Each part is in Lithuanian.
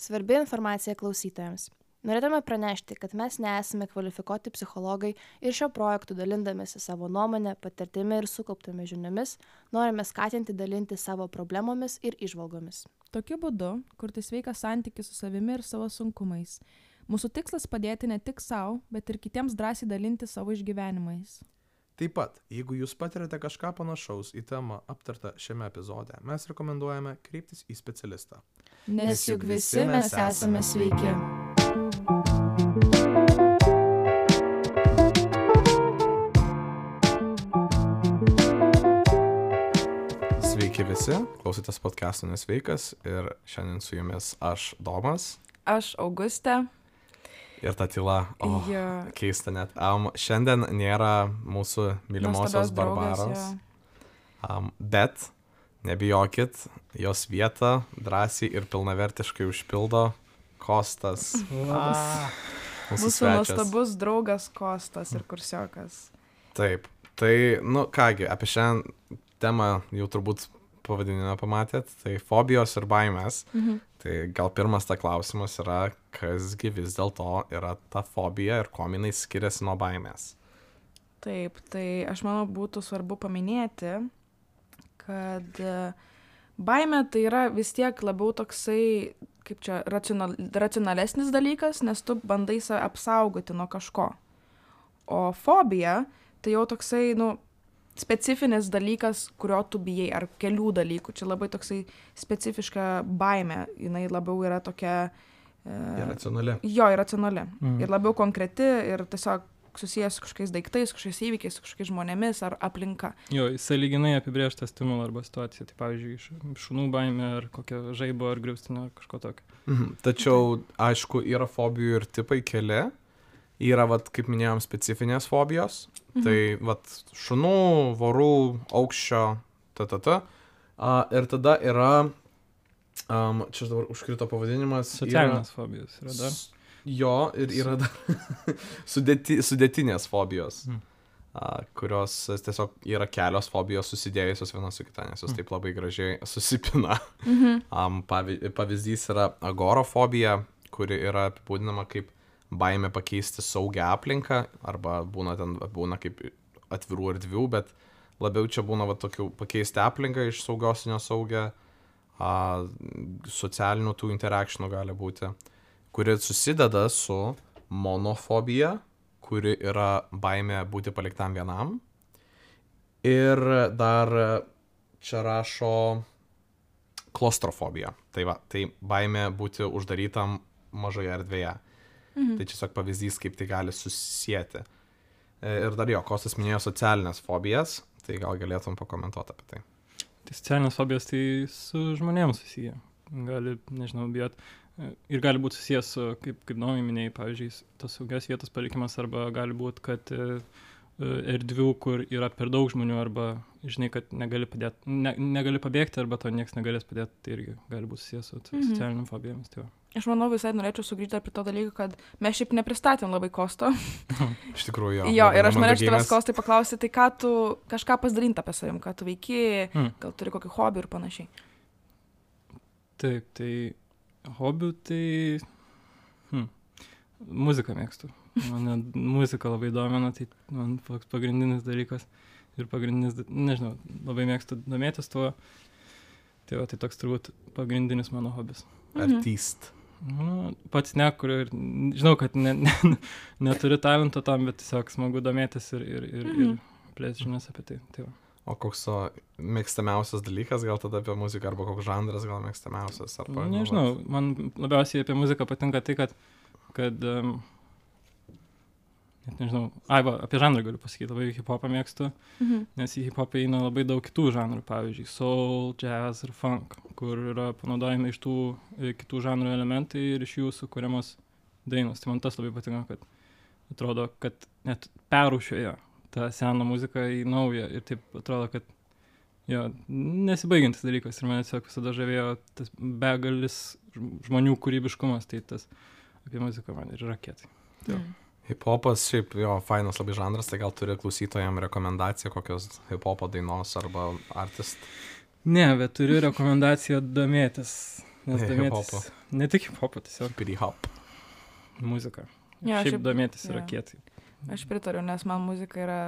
Svarbi informacija klausytojams. Norėtume pranešti, kad mes nesame kvalifikuoti psichologai ir šio projektu dalindamėsi savo nuomonę, patirtimi ir sukauptomis žiniomis, norime skatinti dalinti savo problemomis ir įžvalgomis. Tokiu būdu kurti sveiką santykį su savimi ir savo sunkumais. Mūsų tikslas padėti ne tik savo, bet ir kitiems drąsiai dalinti savo išgyvenimais. Taip pat, jeigu jūs patiriate kažką panašaus į temą aptartą šiame epizode, mes rekomenduojame kreiptis į specialistą. Nes juk visi mes esame sveiki. Sveiki visi, klausotės podcast'o Nesveikas ir šiandien su jumis aš Domas. Aš Augustė. Ir ta tyla, keista net. Šiandien nėra mūsų mylimosios Barbaros, bet nebijokit, jos vietą drąsiai ir pilnavertiškai užpildo Kostas. Mūsų nuostabus draugas Kostas ir kursiokas. Taip, tai, kągi, apie šią temą jau turbūt pavadinimą pamatėt, tai fobijos ir baimės. Tai gal pirmas ta klausimas yra, kasgi vis dėlto yra ta fobija ir kuo jinai skiriasi nuo baimės. Taip, tai aš manau būtų svarbu paminėti, kad baimė tai yra vis tiek labiau toksai, kaip čia, racionalesnis dalykas, nes tu bandai save apsaugoti nuo kažko. O fobija tai jau toksai, specifinis dalykas, kurio tu bijai, ar kelių dalykų. Čia labai toksai specifiška baimė, jinai labiau yra tokia... Iracionali. Jo, iracionali. Ir labiau konkreti ir tiesiog susijęs su kažkokiais daiktais, kažkokiais įvykiais, su kažkokiais žmonėmis ar aplinka. Jo, sąlyginai apibrėžtą stimulą arba situaciją. Tai pavyzdžiui, šunų baimė ar kokia žaibo ar griaustinio ar kažko tokio. Tačiau, aišku, yra fobijų ir tipai keli. Yra, kaip minėjom, specifinės fobijos. Tai, šunų, vorų, aukščio, ir tada yra, čia dabar užkrito pavadinimas. Socialinės fobijos yra dar. Jo, ir yra dar sudėtinės fobijos, kurios tiesiog yra kelios fobijos susidėjusios viena su kita, nes jos taip labai gražiai susipina. Pavyzdys yra agorafobija, kuri yra apibūdinama kaip baimė pakeisti saugią aplinką, arba būna kaip atvirų erdvių, bet labiau čia būna tokių pakeisti aplinką iš saugios į nesaugę, socialinių tų interakcijų gali būti, kuri susideda su monofobija, kuri yra baimė būti paliktam vienam, ir dar čia rašo klaustrofobija, tai baimė būti uždarytam mažoje erdvėje. Tai tiesiog pavyzdys, kaip tai gali susisieti. Ir dar Kostas minėjo socialinės fobijas, tai gal galėtum pakomentuoti apie tai. Tai socialinės fobijos tai su žmonėms susiję. Gali, bijot. Ir gali būti susijęs su, kaip Domai minėjai, pavyzdžiui, tos saugios vietos palikimas, arba gali būti, kad erdvių, kur yra per daug žmonių, arba, kad negali pabėgti, arba to niekas negalės padėti, tai irgi gali būti susijęs su socialiniam fobijomis. Tai Aš manau, visai norėčiau sugrįžti prie to dalyko, kad mes šiaip nepristatėm labai Kosto. Iš tikrųjų, jo. Ir aš norėčiau tavęs, Kostai, paklausti, tai ką tu kažką pasidalinti apie savim, ką tu veiki, gal turi kokį hobį ir panašiai. Taip, tai hobių, tai muziką mėgstu. Mane muzika labai domina, tai man pagrindinis dalykas ir pagrindinis, labai mėgstu domėtis tuo. Tai toks turbūt pagrindinis mano hobis. Artist. Pats nekuriu ir žinau, kad neturi talento tam, bet tiesiog smagu domėtis ir plėsti žinias apie tai. O koks mėgstamiausias dalykas, gal tada apie muziką, arba koks žanras gal mėgstamiausias? Nežinau, man labiausiai apie muziką patinka tai, kad apie žanrą galiu pasakyti, labai hip-hopą mėgstu, nes į hip-hopą eina labai daug kitų žanrų, pavyzdžiui, soul, jazz ir funk, kur yra panaudojami iš tų kitų žanrų elementai ir iš jų sukuriamos dainos. Tai man tas labai patinka, kad atrodo, kad net perrūšiuoja tą seną muziką į naują ir taip atrodo, kad nesibaigiantis dalykas ir mane tiesiog visada žavėjo tas begalis žmonių kūrybiškumas, tai tas apie muziką man ir yra kietai. Hip-hopas šiaip fainas labai žanras, tai gal turi klausytojams rekomendaciją kokios hip-hopo dainos arba artist? Ne, bet turiu rekomendaciją domėtis Nes domėtis, ne tik hip-hopą, tiesiog Hip-hop. muzika. Jo, Šiaip domėtis yra jo. kietai. Aš pritariu, nes man muzika yra,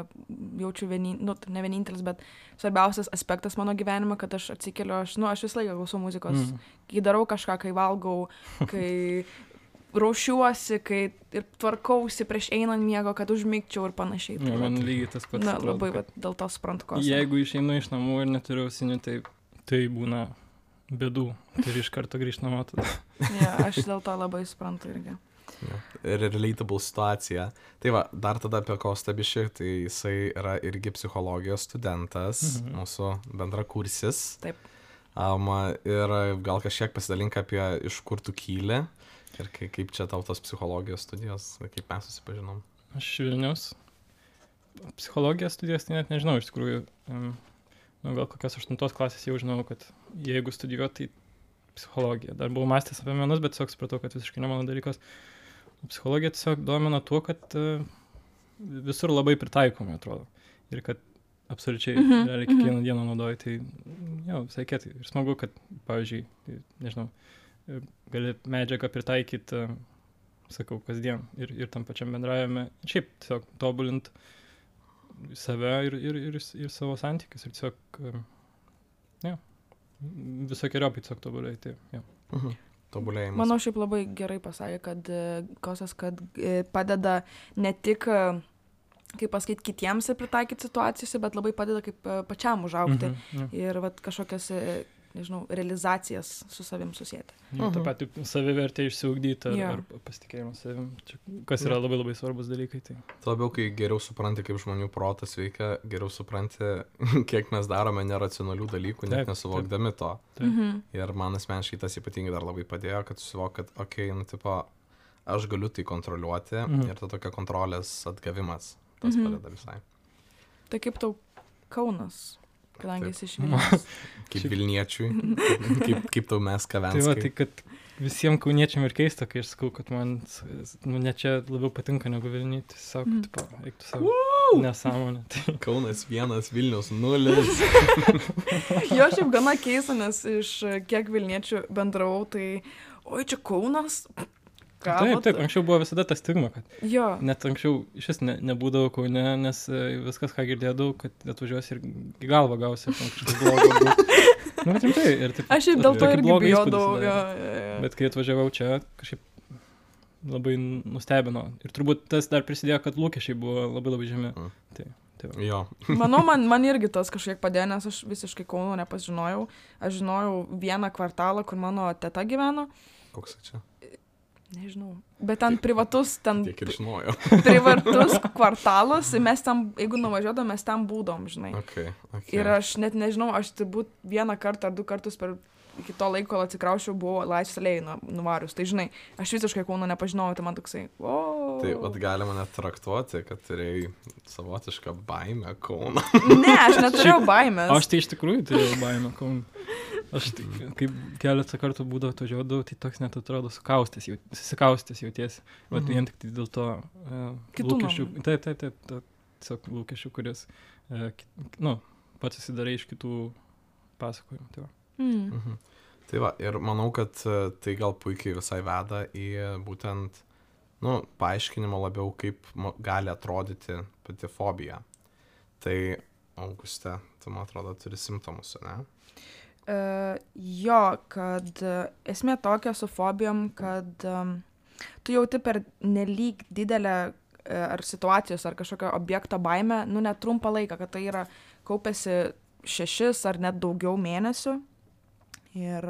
jaučiu ne vienintelis, bet svarbiausias aspektas mano gyvenime, kad aš atsikeliu, aš visą laiką klausau muzikos. Kai darau kažką, kai valgau, kai raušiuosi, kai ir tvarkausi prieš einant miego, kad užmigčiau ir panašiai. Ja, man lygiai tas pats. Na, atrodo, labai kad dėl to suprantu, ko. Jeigu išeinu iš namų ir neturiu ausinių, tai būna bėdų. Tai iš karto grįžt namo tada. Ja, aš dėl to labai suprantu irgi. Relatable situacija. Tai va, dar tada apie Kostą bišį, tai jisai yra irgi psichologijos studentas, mūsų bendrakursis. Taip. Ir gal kažkiek pasidalink apie iš kur tu kyli ir kaip čia tau tos psichologijos studijos, kaip mes susipažinom. Aš Vilniaus psichologijos studijos, tai net nežinau, iš tikrųjų, gal kokios 8 klasės jau žinau, kad jeigu studijuoti, tai psichologija. Dar buvau mąstęs apie menus, bet tiesiog supratau, kad visiškai ne mano dalykas. Psichologija tiesiog domina tuo, kad visur labai pritaikomi, atrodo. Ir kad absoliučiai realiai kiekvieną dieną naudoji, tai jau, visai kietai. Ir smagu, kad, pavyzdžiui, nežinau, gali medžiagą pritaikyti, sakau, kasdien ir tam pačiam bendravime. Šiaip tiesiog tobulint save ir savo santykius. Ir tiesiog, visokiojopai tiesiog tobulėti. Tobulėjimas. Manau, šiaip labai gerai pasakė, kad Kostas, kad padeda ne tik, kaip pasakyti, kitiems pritaikyti situacijose, bet labai padeda kaip pačiam užaugti ir vat, kažkokias, nežinau, realizacijas su savim susėti. Ta pati savivertė išsiugdyti ar pasitikėjimą savim, kas yra labai labai svarbus dalykai. Tai. Labiau, kai geriau supranti, kaip žmonių protas veikia, geriau supranti, kiek mes darome neracionalių dalykų, net nesuvokdami to. Ir man asmeniškai tas ypatingai dar labai padėjo, kad susivok, kad, aš galiu tai kontroliuoti ir ta tokia kontrolės atgavimas, tas padeda visai. Tai kaip tau Kaunas? Kadangi esi iš Vilniaus. Kaip Vilniečiui, kaip tau mes Kavenskai. Tai va, tai kad visiems kauniečiam ir keista, kai aš sakau, kad man ne čia labiau patinka negu Vilniui, tiesiog, eiktų savo nesąmonę. Tai. Kaunas 1, Vilnius 0. Jo, šiaip gana keista, nes iš kiek Vilniečių bendravau, tai, oi, čia Kaunas. Taip, anksčiau buvo visada ta stigma, kad net anksčiau iš vis nebūdavo Kaune, nes viskas, ką girdėdavau, kad atvažiuosi ir į galvą gausi kažkas blogo. Bet rimtai. Aš ir dėl to irgi bijodavau. Bet kai atvažiavau čia, kažkaip labai nustebino. Ir turbūt tas dar prisidėjo, kad lūkesčiai buvo labai labai žemi. Jo. Manau, man irgi tas kažkiek padėjo, nes aš visiškai Kauno nepažinojau. Aš žinojau vieną kvartalą, kur mano teta gyveno. Koks čia? Nežinau, bet ten privatus, Tiek ir žinojau. privatus kvartalas, mes ten, jeigu nuvažiuodom, mes ten būdom, žinai. Okay. Ir aš net nežinau, aš turbūt 1 kartą ar 2 kartus iki to laiko, kol atsikraušiau, buvo Laisvės alėjai nuvarius. Tai žinai, aš visiškai Kauno nepažinojau, tai man toksai, Tai galima net traktuoti, kad turėjai savotišką baimę Kauno. Ne, aš neturėjau baimės. Aš tai iš tikrųjų turėjau baimę Kauno. Aš kaip keletą kartų būdavo atvažiuodavau, tai toks net atrodo susikaustęs jautiesi. Bet vien tik dėl to lūkesčių. Taip, tiesiog lūkesčių, kuris, pats susidarai iš kitų pasakojimų. Tai va, ir manau, kad tai gal puikiai visai veda į būtent, paaiškinimą labiau, kaip gali atrodyti pati fobija. Tai, Auguste, tu, man atrodo, turi simptomus, ne? Jo, kad esmė tokia su fobijom, kad tu jauti per nelyg didelę ar situacijos, ar kažkokio objekto baimę, net trumpą laiką, kad tai yra kaupėsi 6 ar net daugiau mėnesių. Ir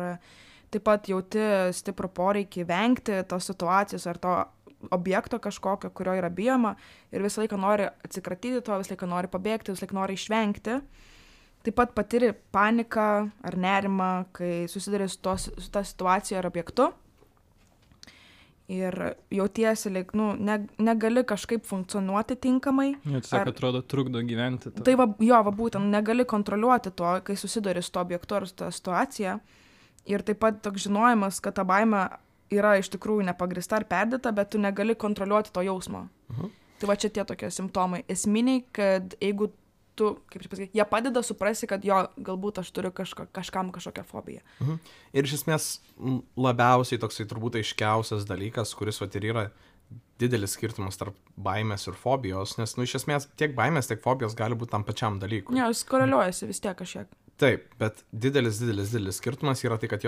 taip pat jauti stiprų poreikį vengti tos situacijos ar to objekto kažkokio, kurio yra bijoma, ir visą laiką nori atsikratyti to, visą laiką nori pabėgti, visą laiką nori išvengti. Taip pat patiri paniką ar nerimą, kai susiduri su ta situacija ar objektu. Ir jautiesi, negali kažkaip funkcionuoti tinkamai. Tiesiog atrodo trukdo gyventi. Tai būtent, negali kontroliuoti to, kai susiduri su to objektu ar su ta situacija. Ir taip pat toks žinojimas, kad ta baimė yra iš tikrųjų nepagrįsta ar perdėta, bet tu negali kontroliuoti to jausmo. Tai va čia tie tokie simptomai. Esminiai, kad jeigu tu, kaip čia pasakyti, jie padeda suprasti, kad jo, galbūt aš turiu kažkam kažkokią fobiją. Ir iš esmės labiausiai toksai turbūt aiškiausias dalykas, kuris vat ir yra didelis skirtumas tarp baimės ir fobijos, nes, iš esmės tiek baimės, tiek fobijos gali būti tam pačiam dalykui. Ne, jis koreliuojasi vis tiek kažkiek. Taip, bet didelis skirtumas yra tai, kad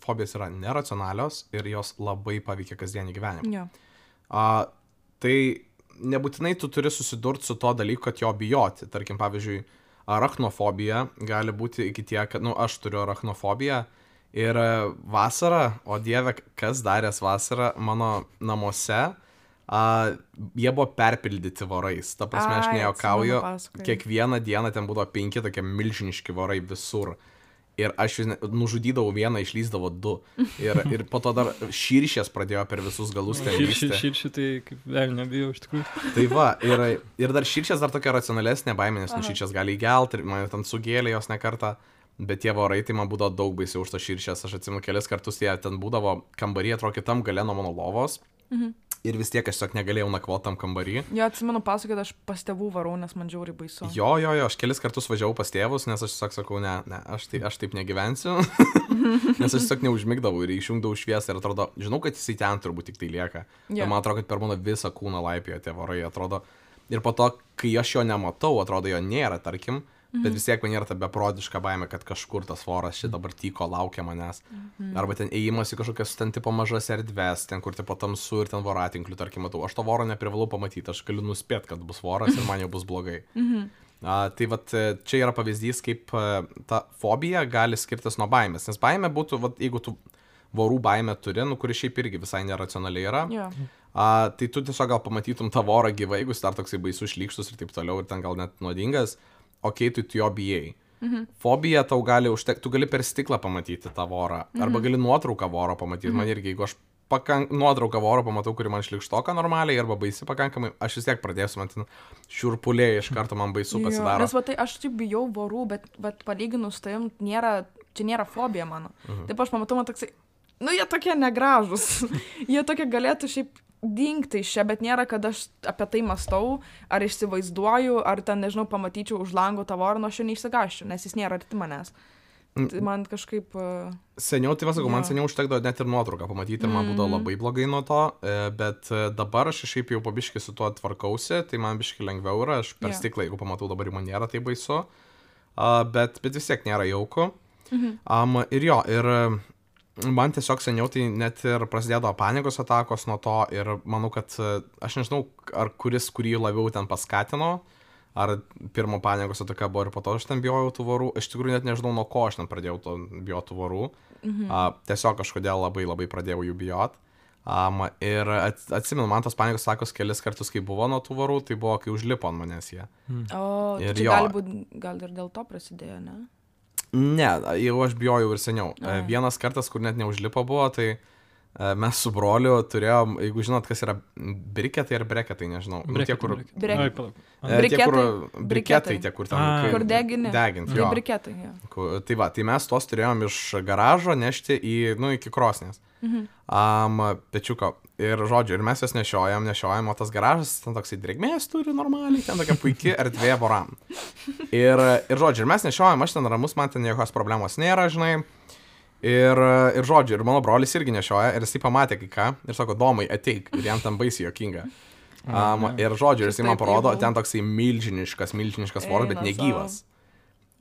fobijos yra neracionalios ir jos labai paveikia kasdienį gyvenimą. Jo. Tai nebūtinai tu turi susidurti su to dalyku, kad jo bijoti. Tarkim, pavyzdžiui, arachnofobija gali būti iki tiek, kad, aš turiu arachnofobiją ir vasarą, o dieve, kas daręs vasarą mano namuose, jie buvo perpildyti vorais. Ta prasme, aš nejuokauju, kiekvieną dieną ten būdavo 5 tokie milžiniški vorai visur. Ir aš nužudydavau vieną, išlysdavo 2. Ir po to dar širšės pradėjo per visus galus ten lysti. Širšė tai kaip vėl nebijau iš tikrųjų. Tai va, ir dar širšės dar tokia racionalesnė baimė, nes širšės gali įgelti ir man ten sugėlė jos ne kartą. Bet tie vorai, tai man būdavo daug baisiau už to širšės. Aš atsimenu kelis kartus, jie ten būdavo kambarį, atrodo kitam gale nuo mano lovos. Ir vis tiek aš tiesiog negalėjau nakvoti tam kambarį. Jo, atsimenu pasakyti, kad aš pas tėvų varau, nes man žiauriai baisu. Jo, aš kelis kartus važiavau pas tėvus, nes aš tiesiog sakau, ne, aš taip negyvensiu. Nes aš tiesiog neužmigdavau ir išjungdavau šviesą ir atrodo, žinau, kad jisai ten turbūt tik tai lieka. Yeah. Man atrodo, kad per mano visą kūną laipiojo tie vorai, atrodo. Ir po to, kai aš jo nematau, atrodo, jo nėra, tarkim. Bet vis tiek man yra ta beprotiška baimė, kad kažkur tas voras šit dabar tyko laukia manęs. Arba ten ėjimas į kažkokias ten tipo mažas erdves, ten kur tipo tamsu ir ten voratinklių, tarkim, matau. Aš to voro neprivalau pamatyti, aš galiu nuspėti, kad bus voras ir man jau bus blogai. Tai vat čia yra pavyzdys, kaip ta fobija gali skirtis nuo baimės. Nes baimė būtų, vat, jeigu tu vorų baimę turi, kuri šiaip irgi visai neracionaliai yra, tai tu tiesiog gal pamatytum tą vorą gyvai, jeigu jis dar toksai baisus šlykštus ir taip toliau, ir ten gal net nuodingas. Tu jo bijai. Fobija tau gali užtekti, tu gali per stiklą pamatyti tą vorą, arba gali nuotrauką voro pamatyti. Man irgi, jeigu aš nuotrauką voro pamatau, kuri man šlikštoka normaliai, arba baisi pakankamai, aš vis tiek pradėsiu, man ten šiurpuliai iš karto man baisu pasidaro. Nes tai aš taip bijau vorų, bet palyginus tavim, čia nėra fobija mano. Taip aš pamatau, man toksai, jie tokie negražus. Jie tokie galėtų šiaip dingti iš čia, bet nėra, kad aš apie tai mąstau, ar įsivaizduoju, ar ten, nežinau, pamatyčiau už lango tą vorą, aš jo neišsigąsčiau, nes jis nėra arti manęs. Tai man kažkaip... Seniau, tai vasakau, man seniau užtekdavo net ir nuotrauką pamatyti ir man būdavo labai blogai nuo to, bet dabar aš šiaip jau pabiškai su tuo tvarkausi, tai man biškai lengviau yra, aš per stiklą, jeigu pamatau, dabar man nėra tai baisu, bet vis tiek nėra jauku. Ir jo, ir... Man tiesiog seniau tai net ir prasidėdavo panikos atakos nuo to ir manau, kad aš nežinau, ar kurį labiau ten paskatino, ar pirmo panikos ataka buvo ir po to aš ten bijojau tų vorų. Iš tikrųjų net nežinau, nuo ko aš ten pradėjau bijoti tų vorų. Tiesiog kažkodėl labai pradėjau jų bijoti. Ir atsimenu, man tos panikos atakos kelis kartus, kai buvo nuo tų vorų, tai buvo, kai užlipo ant manęs jie. Ir čia gal ir dėl to prasidėjo, ne? Ne, jau aš bijojau ir seniau. Vienas kartas, kur net neužlipo buvo, tai mes su broliu turėjom, jeigu žinot, kas yra briketai ar breketai, nežinau. Briketai, tie, kur ten... Kur deginti. Jo. Briketai, jo. Tai va, tai mes tos turėjom iš garažo nešti iki krosnės. Pečiuko. Ir žodžiu, ir mes jas nešiojam, o tas garažas ten toksai drėgmės turi normaliai, ten tokia puikia erdvė voram. Ir žodžiu, ir mes nešiojam, aš ten ramus, man ten jokios problemos nėra, žinai. Ir žodžiu, ir mano brolis irgi nešioja, ir jisai pamatė kai ką, ir sako, Domai, ateik, ir jam ten baisiai jokinga. Ir žodžiu, ir jisai man parodo, ten toksai milžiniškas voras, bet negyvas.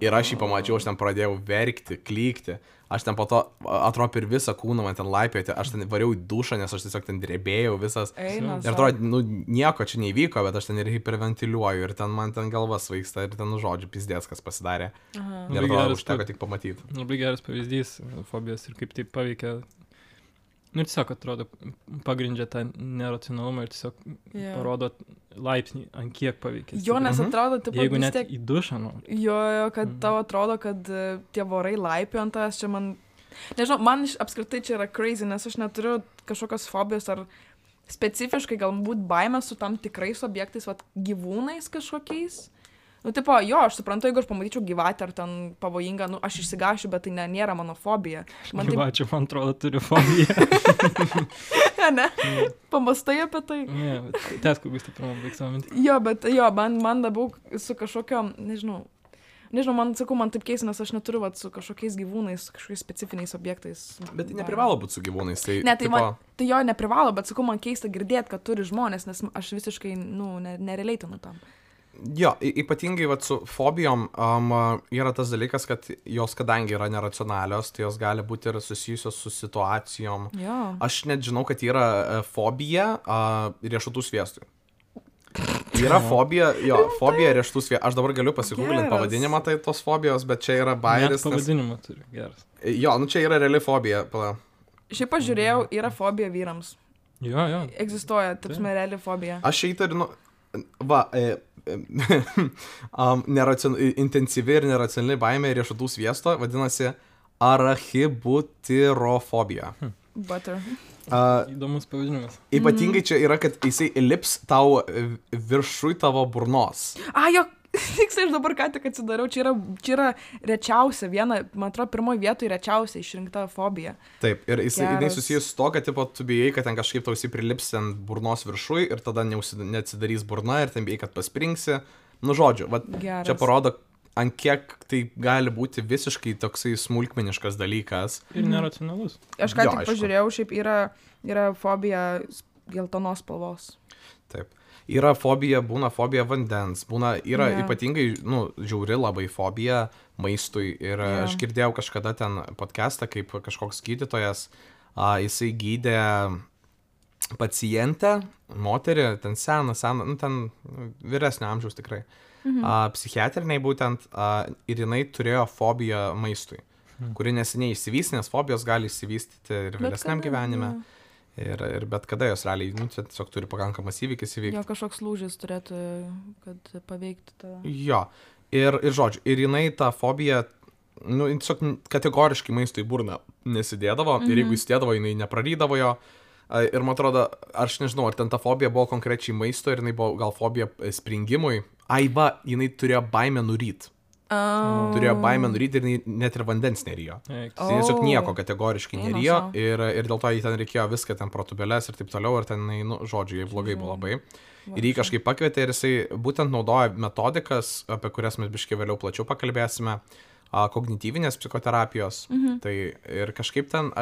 Ir aš jį pamačiau, aš ten pradėjau verkti, klykti. Aš ten po to, atrodo, per visą kūną man ten laipioti, aš ten variau į dušą, nes aš tiesiog ten drebėjau visas. Ir atrodo, nieko čia neįvyko, bet aš ten ir hiperventiliuoju, ir ten man ten galva svaigsta, ir ten žodžiu pizdės, kas pasidarė. Ir atrodo, užteko tik pamatyti. Labai geras pavyzdys fobijos ir kaip tai paveikia. Ir tiesiog atrodo, pagrindžia tą neracionalumą ir tiesiog parodo laipsnį, ant kiek paveikia. Jo, nes atrodo, taip pat jeigu net į dušą, Jo, kad tau atrodo, kad tie vorai laipio ant tavęs, čia man... Nežinau, man apskritai čia yra crazy, nes aš neturiu kažkokios fobijos ar specifiškai galbūt baimės su tam tikrais objektais, gyvūnais kažkokiais. Tipo, jo, aš suprantu, jeigu aš pamatyčiau gyvatę ar ten pavojingą, aš išsigąšiu, bet tai nėra mano fobija. Gyvačių, man atrodo, turiu fobiją. Ne? Pamastai apie tai. Ne, tęsk, kokius tai pirmą baigsamą mintį. Jo, bet jo, man labiau su kažkokiom, nežinau, man, sakau, man taip keista, nes aš neturiu vat, su kažkokiais gyvūnais, kažkokiais specifiniais objektais. Bet tai neprivalo būti su gyvūnais. Tai, Ne, tai jo neprivalo, bet sakau, man keista girdėti, kad turi žmonės, nes aš visiškai, nereleitinu tam. Jo, ypatingai vat, su fobijom yra tas dalykas, kad jos kadangi yra neracionalios, tai jos gali būti ir susijusios su situacijom. Jo. Aš net žinau, kad yra fobija riešutų sviestui. Yra fobija riešutų sviestui. Aš dabar galiu pasigūglinti pavadinimą tai tos fobijos, bet čia yra bairis. Pavadinimą turi, geras. Jo, čia yra reali fobija. Šiaip pažiūrėjau, yra fobija vyrams. Jo. Egzistuoja, taip sme, reali fobija. Aš įtariu, intensyvi ir neracionali baimė riešutų sviesto vadinasi arachibutirofobija. Butter. Įdomus pavadinimas. Ypatingai čia yra, kad jisai lips tau viršui tavo burnos. Jo, tiksliai, aš dabar ką tik atsidariau, čia yra rečiausia, viena, man atrodo, pirmoji vietoje rečiausia išrinkta fobija. Taip, ir jinai susijęs su to, kad tipo, tu bijai, kad ten kažkaip tau prilips ant burnos viršui ir tada neatsidarys burna ir ten bijai, kad paspringsi. Nu, žodžiu, čia parodo, ant kiek tai gali būti visiškai toksai smulkmeniškas dalykas. Ir neracionalus. Aš ką tik pažiūrėjau, šiaip yra fobija geltonos spalvos. Taip. Yra fobija, būna fobija vandens, yra ypatingai, žiauri labai fobija maistui. Ir aš girdėjau kažkada ten podcastą, kaip kažkoks gydytojas, jisai gydė pacientę, moterį, ten seną, ten vyresnio amžiaus tikrai, psichiatriniai būtent, ir jinai turėjo fobiją maistui, kuri neseniai išsivystė, nes fobijos gali išsivystyti ir vėlesniam gyvenime. Ir bet kada jos realiai, tiesiog turi pakankamas įvykis įvykti. Jo, kažkoks lūžis turėtų, kad paveikti tą. Jo, ir žodžiu, ir jinai tą fobiją, tiesiog kategoriškai maistui burną nesidėdavo, ir jeigu įsidėdavo, jinai neprarydavo jo. Ir man atrodo, aš nežinau, ar ten ta fobija buvo konkrečiai maisto, ir jinai buvo gal fobija springimui. Jinai turėjo baimę nuryt. Turėjo baimę nuryti ir net ir vandens nerijo. Tai tiesiog nieko kategoriškai nerijo ir dėl to jį ten reikėjo viską, ten protubelės ir taip toliau, ir ten, žodžiu, jai blogai buvo labai. Ir jį kažkaip pakvietė ir jisai būtent naudoja metodikas, apie kurias mes biškai vėliau plačiau pakalbėsime, kognityvinės psichoterapijos. Tai ir kažkaip ten,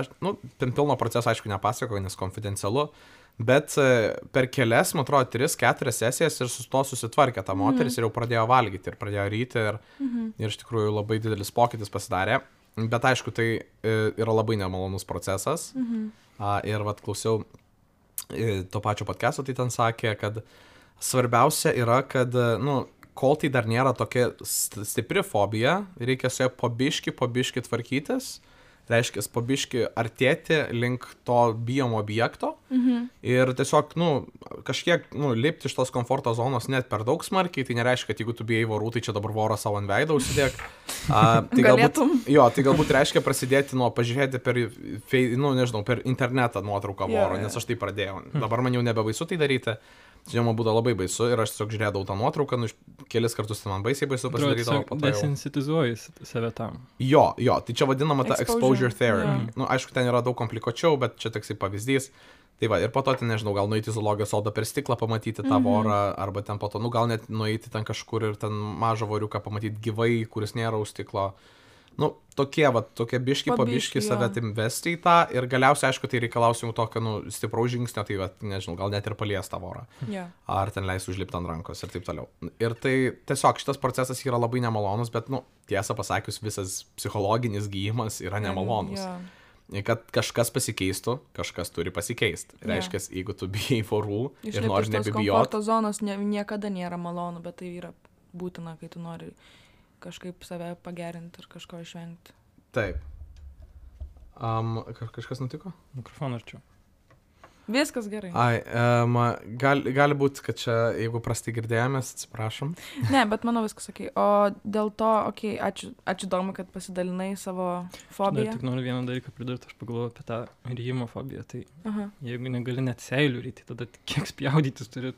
ten pilno proceso aišku nepasakoju, nes konfidencialu, bet per kelias, man atrodo, 3-4 sesijas ir su to susitvarkė ta moteris ir jau pradėjo valgyti ir pradėjo ryti ir iš tikrųjų labai didelis pokytis pasidarė. Bet aišku, tai yra labai nemalonus procesas. Ir klausiau to pačio podcast'o, tai ten sakė, kad svarbiausia yra, kad, kol tai dar nėra tokia stipri fobija, reikia su ją po biški tvarkytis. Reiškia, po biški artėti link to bijomo objekto ir tiesiog, kažkiek, lipti iš tos komforto zonos net per daug smarkiai, tai nereiškia, kad jeigu tu bijai vorų, tai čia dabar vorą savo ant veidą užsidėk. Tai galbūt reiškia prasidėti nuo pažiūrėti per internetą nuotrauką voro, nes aš tai pradėjau. Dabar man jau nebebaisu tai daryti. Čia man būtų labai baisu ir aš tiesiog žiūrėdavau tą nuotrauką, kelis kartus ten man baisiai baisu pasidarydavo. Desensitizuoji save tam. Jo, tai čia vadinama ta exposure therapy. Aišku, ten yra daug komplikuočiau, bet čia toksai pavyzdys. Tai va, ir po to ten, nežinau, gal nueiti į zoologijos sodą per stiklą pamatyti tą vorą, arba ten po to, gal net nueiti ten kažkur ir ten mažą voriuką pamatyti gyvai, kuris nėra už stiklo. Tokie biški po biški save tim vesti į tą ir galiausiai, aišku, tai reikalaus jau tokio, stipraus žingsnio, tai, nežinau, gal net ir palies tą vorą. Ar ten leis užlipti ant rankos ir taip toliau. Ir tai tiesiog šitas procesas yra labai nemalonus, bet, tiesą pasakius, visas psichologinis gyjimas yra nemalonus. Kad kažkas pasikeistų, kažkas turi pasikeisti. Reiškia, jeigu tu bijai vorų ir nori nebebijoti. Komforto zonos niekada nėra malonu, bet tai yra būtina, kai tu nori kažkaip save pagerinti ir kažko išvengti. Taip. Kažkas nutiko? Mikrofoną arčiau. Viskas gerai. Gali būti, kad čia, jeigu prastai girdėjomės, atsiprašom. Ne, bet manau viskas okei. O dėl to, ačiū Domai, kad pasidalinai savo fobiją. Dar tik noriu vieną dalyką pridurti, aš pagalvoju apie tą ryjimo fobiją. Tai jeigu negali net seilių ryti, tada kiek spjaudytis turi.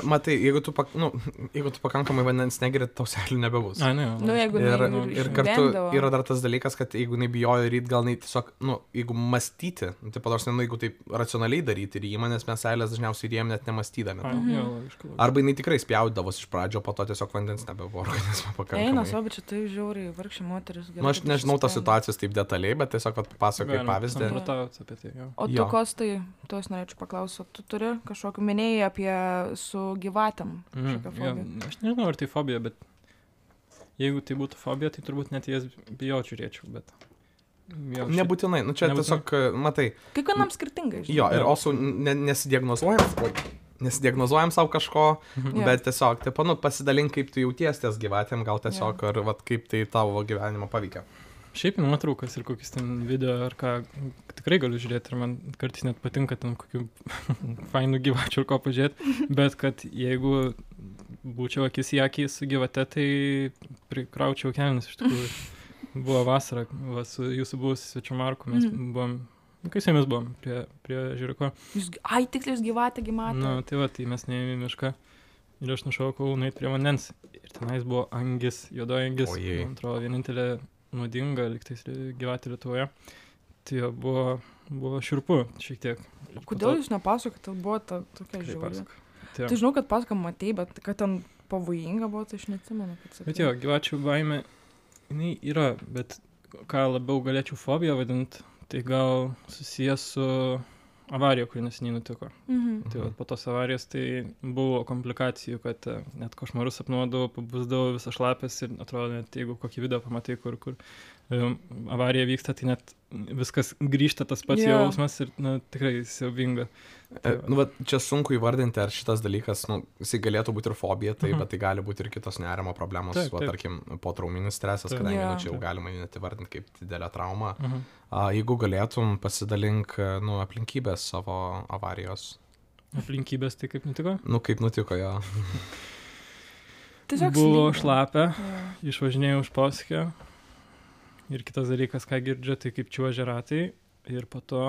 Matai, jeigu tu pakankamai vandens negeri, tau seilių nebebus. Ir kartu yra dar tas dalykas, kad jeigu nebijojo ryt, gal tiesiog, jeigu mąstyti, tai padarsi, jeigu tai taip racionaliai daryti rymą, nes mes seilės dažniausiai rėjom net nemastydami. Jo, logiška. Arba jinai tikrai spjaudavos iš pradžio, po to tiesiog vandens nebebuvo organizme pakankamai. Eina, savo, bet čia tai žiauriai vargšė moteris. Nu, aš nežinau tos situacijos taip detaliai, bet tiesiog pasakoju pavyzdį. Samprotauti apie tai, jo. O tu, Kostai, tu aš norėčiau paklausti, tu turi kažkokiu minėjai apie su gyvatėm kažkokią Jo, fobiją? aš nežinau, ar tai fobija, bet jeigu tai būtų fobija, tai turbūt net jas bijočiau žiūrėčiau, bet... Nebūtinai, nu čia tiesiog, matai. Kiekvienam skirtingai, žinai. Jo, ir also nesidiagnozuojam savo kažko, bet tiesiog, taip, nu, pasidalink, kaip tu jauties ties gyvatėm, gal tiesiog, ar vat, kaip tai tavo gyvenimą paveikia. Šiaip nuotraukas ir kokius ten video ar ką tikrai galiu žiūrėti ir man kartais net patinka ten kokių fainų gyvačių ir ko pažiūrėti, bet kad jeigu būčiau akis į akį su gyvate, tai prikraučiau kelnes iš tikrųjų. Buvo vasara, va, su jūsų buvusiu svečiu Marku, mes buvom, kai su jumis buvom, prie Žiūriko. Ai, tiksliai, jūs gyvatė, gymatė. Na, tai va, tai mes neėjome į mišką ir aš nušaukau nueit prie vandens. Ir tenais buvo angis, juodoji angis, man atrodo, vienintelė nuodinga, liktais gyvatė Lietuvoje. Tai jo, buvo šiurpu šiek tiek. Kodėl jūs nepasakot, kad buvo ta tokia žiauri? Tai žinau, kad pasakam matei, bet kad ten pavojinga buvo, tai aš neatsimenu. Bet jo, gyvačių baimė, jinai yra, bet ką labiau galėčiau fobiją vadinti, tai gal susijęs su avarija, kuri neseniai nutiko. Tai va, po tos avarijos tai buvo komplikacijų, kad net košmarus sapnuodavau, pabusdavau visą šlapės ir atrodo, net jeigu kokį video pamatai, kur avarija vyksta, tai net viskas grįžta tas pats jausmas ir tikrai siaubinga. Nu, bet čia sunku įvardinti, ar šitas dalykas, nu, jisai galėtų būti ir fobija, tai, bet tai gali būti ir kitos nerimo problemos, va, tarkim, potrauminis stresas, kadangi čia jau galima net įvardinti kaip didelę traumą. Jeigu galėtum, pasidalink, nu, aplinkybės savo avarijos. Aplinkybės tai kaip nutiko? Nu, kaip nutiko, jo. Buvo šlapia, išvažinėjau už posūkio. Ir kitas dalykas, ką girdžiu, tai kaip čiuožia ratai. Ir po to,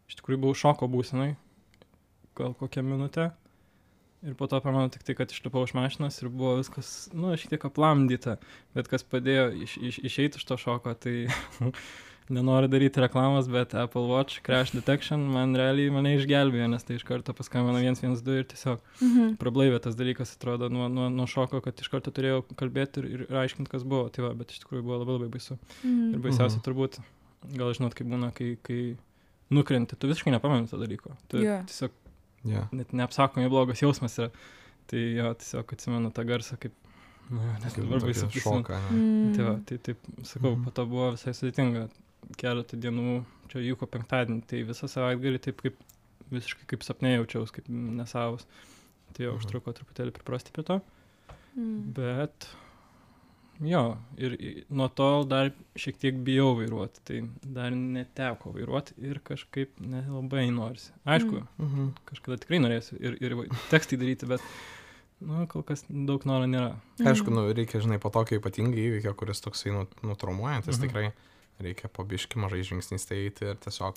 iš tikrųjų buvau šoko būsenai, gal kokią minutę. Ir po to pamanu tik tai, kad išlipau iš mašinos ir buvo viskas, nu, šiek tiek aplamdyta. Bet kas padėjo išeiti iš to šoko, tai nenoriu daryti reklamos, bet Apple Watch Crash Detection mane išgelbėjo, nes tai iš karto paskambino 112 ir tiesiog prablaivė tas dalykas, atrodo, nuo šoko, kad iš karto turėjau kalbėti ir aiškinti, kas buvo. Tai va, bet iš tikrųjų buvo labai labai baisu. Ir baisiausia turbūt, gal žinot, kaip būna, kai nukrenti, tu visiškai nepameni to dalyko. Tu tiesiog net neapsakomai blogas jausmas yra. Tai jo, tiesiog atsimenu tą garsą, kaip, nes dabar baisu prisimenu. Tai va, tai taip, sakau, po to buvo visai sudėtinga. Keletą dienų, čia įvyko penktadienį, tai visą savaitgalį taip kaip visiškai kaip sapne jaučiaus, kaip nesavas. Tai jau užtruko truputėlį priprasti prie to. Bet jo, ir nuo tol dar šiek tiek bijau vairuoti, tai dar neteko vairuoti ir kažkaip nelabai norisi. Aišku, kažkada tikrai norėsiu ir tekstai daryti, bet nu, kol kas daug noro nėra. Aišku, nu, reikia, žinai, po tokio ypatingai įvykio, kuris toksai nutraumuojantis, tikrai reikia po biškį mažai žingsniais tai eiti ir tiesiog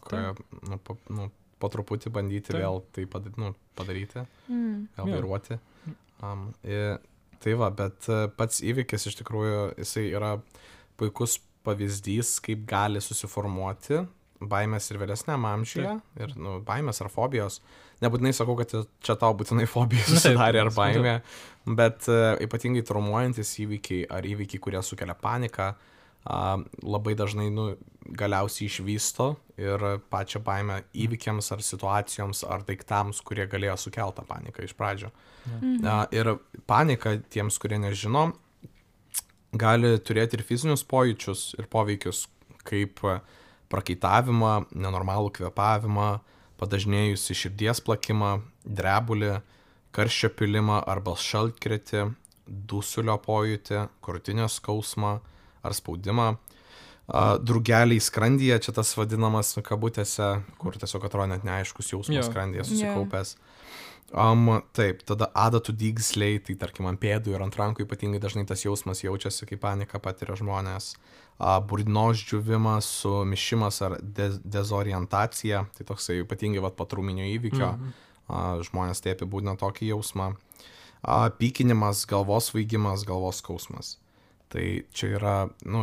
po truputį bandyti vėl tai padaryti, vėl vairuoti. Tai va, bet pats įvykis iš tikrųjų, jisai yra puikus pavyzdys, kaip gali susiformuoti baimės ir vėlesniam amžiuje, ir baimės ar fobijos. Nebūtinai sakau, kad čia tau būtinai fobija susidarė ar baimė, bet ypatingai traumuojantis įvykiai ar įvykiai, kurie sukelia paniką, labai dažnai galiausiai išvysto ir pačią baimę įvykiams ar situacijoms ar daiktams, kurie galėjo sukeltą paniką iš pradžio. Ir panika, tiems, kurie nežino, gali turėti ir fizinius pojūčius ir poveikius, kaip prakaitavimą, nenormalų kvėpavimą, padažnėjusį širdies plakimą, drebulį, karščio pylimą arba šaltkrėtį, dusulio pojūtį, krūtinės skausmą ar spaudimą, drugeliai skrandyje, čia tas vadinamas kabutėse, kur tiesiog atrodo net neaiškus jausmas skrandyje susikaupęs. Taip, tada adatų dygsliai, tai tarkim ant pėdų ir ant rankų ypatingai dažnai tas jausmas jaučiasi, kai paniką patiria žmonės. Burnos džiuvimas, sumišimas ar dezorientacija, tai toksai ypatingai po trauminio įvykio, žmonės tai apibūdina tokį jausmą. Pykinimas, galvos svaigimas, galvos skausmas. Tai čia yra,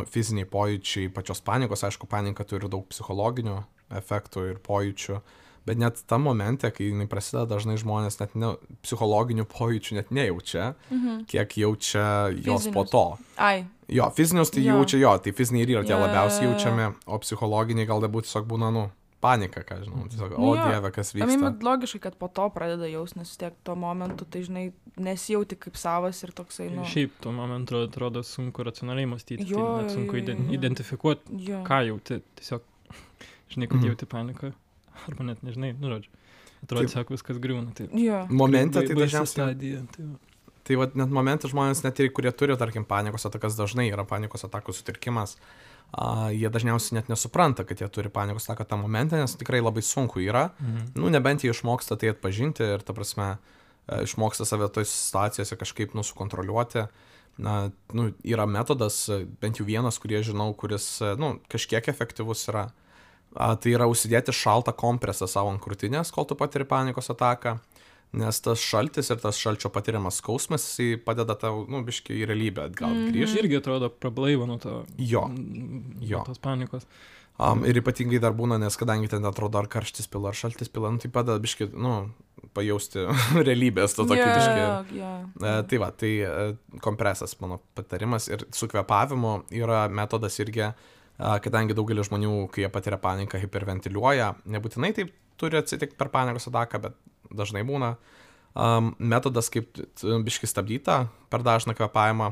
fiziniai pojūčiai pačios panikos, aišku, panika turi daug psichologinių efektų ir pojūčių, bet net tam momente, kai jinai prasideda, dažnai žmonės net psichologinių pojūčių net nejaučia, kiek jaučia jos po to. Jo, fizinius tai jaučia jo, tai fiziniai ir yra tie labiausiai jaučiami, o psichologiniai gal dabūt tiesiog būna, panika, ką žinau, tiesiog, Dieve, kas vyksta. Logiškai, kad po to pradeda jaust, nes tiek tuo momentu, tai žinai, nesijauti kaip savas ir toksai, Šiaip tuo momentu atrodo sunku racionaliai mąstyti, tai sunku identifikuoti, ką jauti, tiesiog, žinai, kad jauti paniką, arba net nežinai, žodžiu, atrodo, tiesiog viskas griūna. Momente tai dažniausiai. Tai net momente žmonės, net ir kurie turi, tarkim, panikos atakas, dažnai yra panikos atakų sutrikimas, jie dažniausiai net nesupranta, kad jie turi panikos ataką tą momentą, nes tikrai labai sunku yra. Nebent jie išmoksta tai atpažinti ir, ta prasme, išmoksta save toj situacijose kažkaip sukontroliuoti. Yra metodas, bent jau vienas, kurį žinau, kuris, kažkiek efektyvus yra. Tai yra užsidėti šaltą kompresą savo ant krūtinės, kol tu patiri panikos ataką. Nes tas šaltis ir tas šalčio patiriamas skausmas, jisai padeda tau, biškai į realybę atgal grįžti. Irgi atrodo prablaiva nuo to. Jo. Tos panikos. Ir ypatingai dar būna, nes kadangi ten atrodo ar karštis pila, ar šaltis pila, tai padeda biškai, pajausti realybės to tokį biškai. Tai va, tai kompresas mano patarimas ir su kvėpavimu yra metodas irgi, kadangi daugelis žmonių, kai jie patiria paniką, hiperventiliuoja, nebūtinai taip turi atsitikti per panikos ataką, bet dažnai būna. Metodas, kaip biškai stabdyta per dažną kvėpavimą.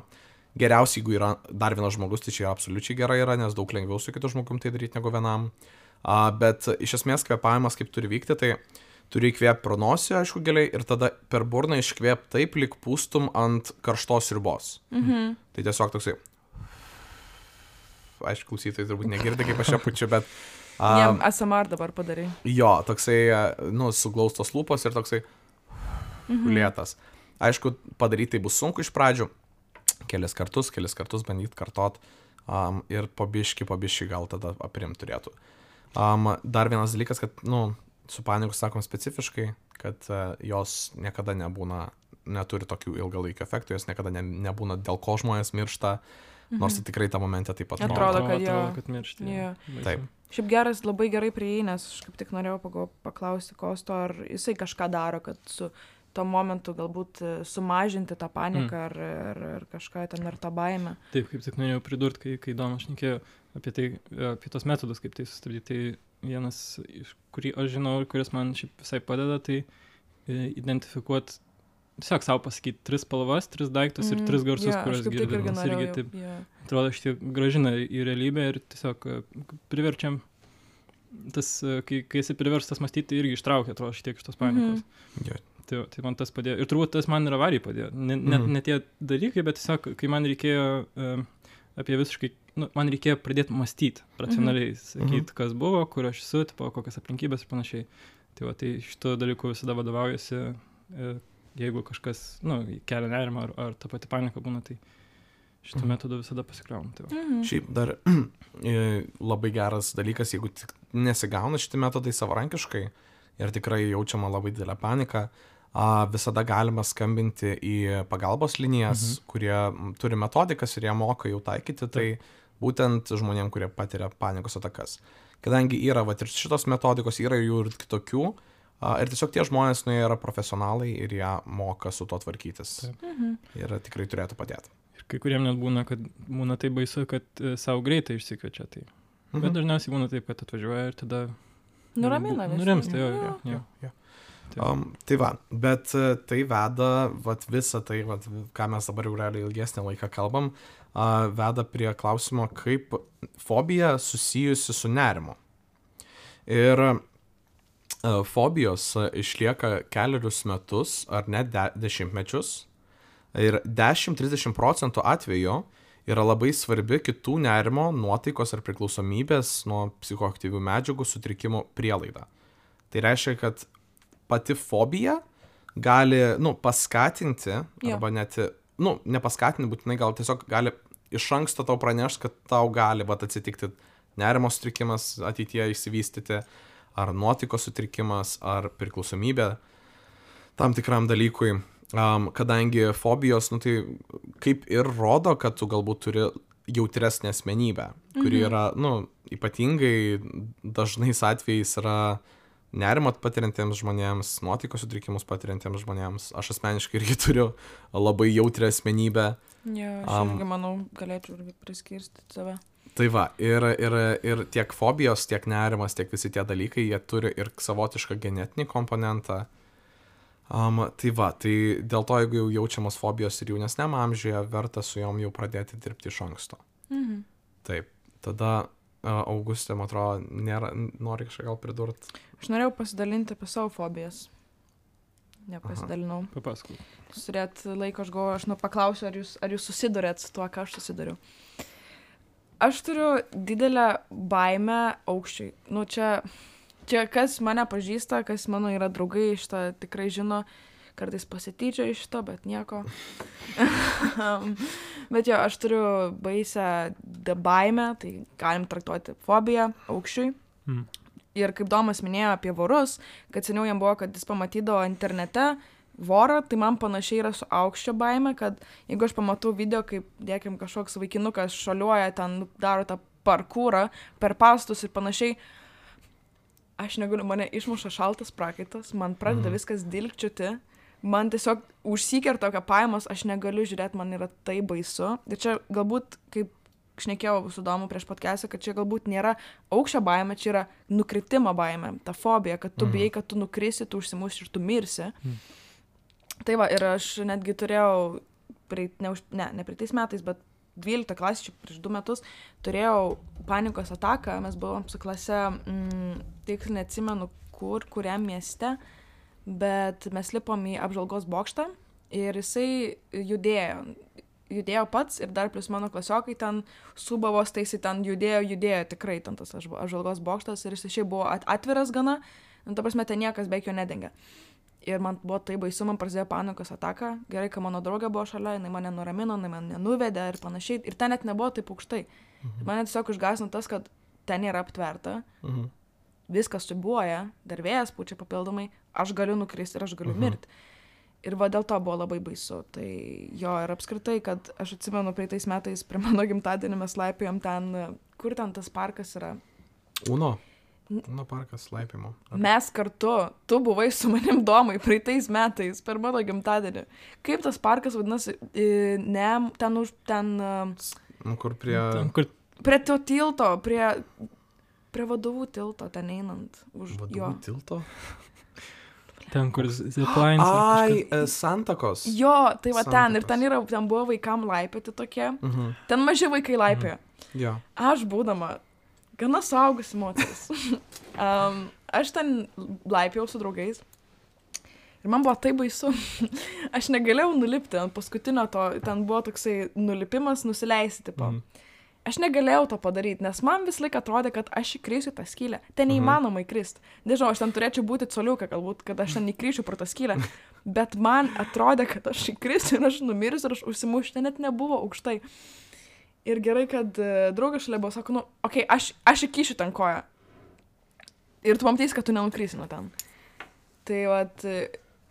Geriausiai, jeigu yra dar vienas žmogus, tai čia absoliučiai gerai yra, nes daug lengviau su kitu žmogum tai daryti negu vienam. Bet iš esmės kvėpavimas kaip turi vykti, tai turi įkvėpti pro nosį, aišku, giliai, ir tada per burną iškvėpti taip, lyg pūstum ant karštos sriubos. Tai tiesiog toksai. Aišku, klausytojai turbūt negirdi, kaip aš čia pučiu, bet ASMR dabar padarai. Jo, toksai, suglaustos lūpos ir toksai lėtas. Aišku, padaryti tai bus sunku iš pradžių, kelis kartus bandyti kartot ir po biškį gal tada aprimt turėtų. Dar vienas dalykas, kad, su panikos sakom specifiškai, kad jos niekada neturi tokių ilgalaikio efektų, jos niekada nebūna, dėl ko žmonės miršta, nors tai tikrai tą momentą taip pat atrodo, kad miršti. Taip. Šiaip geras, labai gerai prieėjai, nes aš kaip tik norėjau paklausti Kosto, ar jisai kažką daro, kad su tuo momentu galbūt sumažinti tą paniką ar kažką ten, ar tą baimę. Taip, kaip tik norėjau pridurti, kai Domas šnekėjo apie tos metodus, kaip tai sustabdyti. Tai vienas, kurį aš žinau ir kuris man šiaip visai padeda, tai identifikuoti, tiesiog savo pasakyti 3 spalvas, 3 daiktus ir 3 garsus, kuriuos girdim. Irgi taip, atrodo, šitie gražina į realybę ir tiesiog priverčiam, kai esi priverstas mąstyti, irgi ištraukia, atrodo, šitiek iš tos panikos. Tai man tas padėjo. Ir turbūt tas man ir avariai padėjo. Ne tie dalykai, bet tiesiog, kai man reikėjo apie visiškai, man reikėjo pradėti mąstyti racionaliai, sakyti, kas buvo, kur aš esu, kokias aplinkybės ir panašiai. Tai va, tai šito dalyku visada vadovaujasi, jeigu kažkas, kelia nerimą ar ta pati panika būna, tai šitą metodą visada pasikliaujam. Tai Šiaip dar labai geras dalykas, jeigu nesigauna šitie metodai savarankiškai ir tikrai jaučiama labai didelė panika, visada galima skambinti į pagalbos linijas, kurie turi metodikas ir jie moka jau taikyti, tai būtent žmonėm, kurie patiria panikos atakas. Kadangi yra ir šitos metodikos, yra jų ir kitokių, ir tiesiog tie žmonės yra profesionalai ir jie moka su to tvarkytis. Ir tikrai turėtų padėti. Ir kai kuriem net būna, kad būna taip baisu, kad savo greitai išsikviečia. Tai. Bet dažniausiai būna taip, kad atvažiuoja ir tada nuramina visą. Nurimsta, jo. Tai va, bet tai veda, visą tai, ką mes dabar jau realiai ilgesnį laiką kalbam, veda prie klausimo, kaip fobija susijusi su nerimu. Ir fobijos išlieka kelerius metus ar net dešimtmečius ir 10-30% atveju yra labai svarbi kitų nerimo, nuotaikos ar priklausomybės nuo psichoaktyvių medžiagų sutrikimų prielaida. Tai reiškia, kad pati fobija gali, paskatinti, arba net, nepaskatinti būtinai, gal tiesiog gali iš anksto tau pranešti, kad tau gali atsitikti nerimo sutrikimas ateityje išsivystyti, ar nuotaikos sutrikimas, ar priklausomybė tam tikram dalykui. kadangi fobijos, nu tai kaip ir rodo, kad tu galbūt turi jautresnę asmenybę, kuri yra, nu, ypatingai dažnais atvejais yra nerimą patiriantiems žmonėms, nuotaikos sutrikimus patiriantiems žmonėms. Aš asmeniškai irgi turiu labai jautrią asmenybę. Aš irgi manau, galėčiau irgi priskirstyti save. Tai va, ir tiek fobijos, tiek nerimas, tiek visi tie dalykai, jie turi ir savotišką genetinį komponentą. Tai va, tai dėl to, jeigu jau jaučiamas fobijos ir jaunesniam amžiuje, verta su jom jau pradėti dirbti iš anksto. Taip, tada Augustė, man atrodo, nori kažką gal pridurti. Aš norėjau pasidalinti apie savo fobijas. Nepasidalinau. Papasakau. Jūs turėt laiko, aš galvoju, aš paklausiu, ar jūs susidurėt su tuo, ką aš susiduriu. Aš turiu didelę baimę aukščiui. Nu, čia kas mane pažįsta, kas mano yra draugai, šitą tikrai žino, kartais pasityčia iš to, bet nieko. Bet jo, aš turiu baisę baimę, tai galim traktuoti fobiją aukščiui. Ir kaip Domas minėjo apie vorus, kad seniau jam buvo, kad jis pamatydavo internete vorą, tai man panašiai yra su aukščio baime, kad jeigu aš pamatau video, kaip, dėkim, kažkoks vaikinukas šaliuoja, ten daro tą parkūrą per pastatus ir panašiai, aš negaliu, mane išmuša šaltas prakaitas, man pradeda viskas dilgčiuti, man tiesiog užsikerta kvėpavimas, aš negaliu žiūrėti, man yra tai baisu. Ir čia galbūt, kaip šnekėjau su Domu prieš podcastą, kad čia galbūt nėra aukščio baimė, čia yra nukritimo baimė, ta fobija, kad tu bijai, kad tu nukrisi, tu užsimuši ir tu mirsi. Tai va, ir aš netgi turėjau, ne praeitais metais, bet 12 klasė, čia prieš 2 metus, turėjau panikos ataką, mes buvom su klase, tiksliai neatsimenu kuriam mieste, bet mes lipom į apžvalgos bokštą ir jisai judėjo pats ir dar plus mano klasiokai ten subavos, tai jisai ten judėjo tikrai ten tas apžvalgos bokštas ir jisai šiaip buvo atviras gana, nu ta prasme, ten niekas beveik jo nedengia. Ir man buvo tai baisu, man prasidėjo panikos ataka, gerai, kad mano draugė buvo šalia, jinai mane nuramino, jinai mane nuvedė ir panašiai, ir ten net nebuvo taip aukštai. Mane tiesiog išgąsdino tas, kad ten yra aptverta, viskas siūbuoja, dar vėjas pučia papildomai, aš galiu nukristi ir aš galiu mirti. Ir va dėl to buvo labai baisu. Tai jo, ir apskritai, kad aš atsimenu praeitais metais prie mano gimtadienį mes laipėjom ten, kur ten tas parkas yra? Uno parkas laipimo. Mes kartu, tu buvai su manim Domai praeitais metais per mano gimtadienį. Kaip tas parkas vadinasi? Kur prie... Prie to tilto, prie vadovų tilto, ten einant. Vadovų tilto? Ten, kur ziplines. Santakos. Jo, tai va ten. Ir ten buvo vaikam laipioti tokie. Ten maži vaikai laipiojo. Jo. Aš būdama gana suaugusi moteris. Aš ten laipiau su draugais. Ir man buvo tai baisu. Aš negalėjau nulipti ant paskutinio to. Ten buvo toksai nulipimas, nusileisti tipo. Aš negalėjau to padaryti, nes man vis laik atrodė, kad aš įkrisiu tą skylę. Ten neįmanoma įkrist. Nežinau, aš ten turėčiau būti coliuką, galbūt, kad aš ten įkryšiu pro tą skylę. Bet man atrodė, kad aš įkrisiu ir aš numirsiu ir aš užsimušiu. Ten net nebuvo aukštai. Ir gerai, kad draugas šalia buvo, sako, nu, okei, aš įkyšiu ten koją. Ir tu pamatysi, kad tu nenukrysi nuo ten. Tai vat,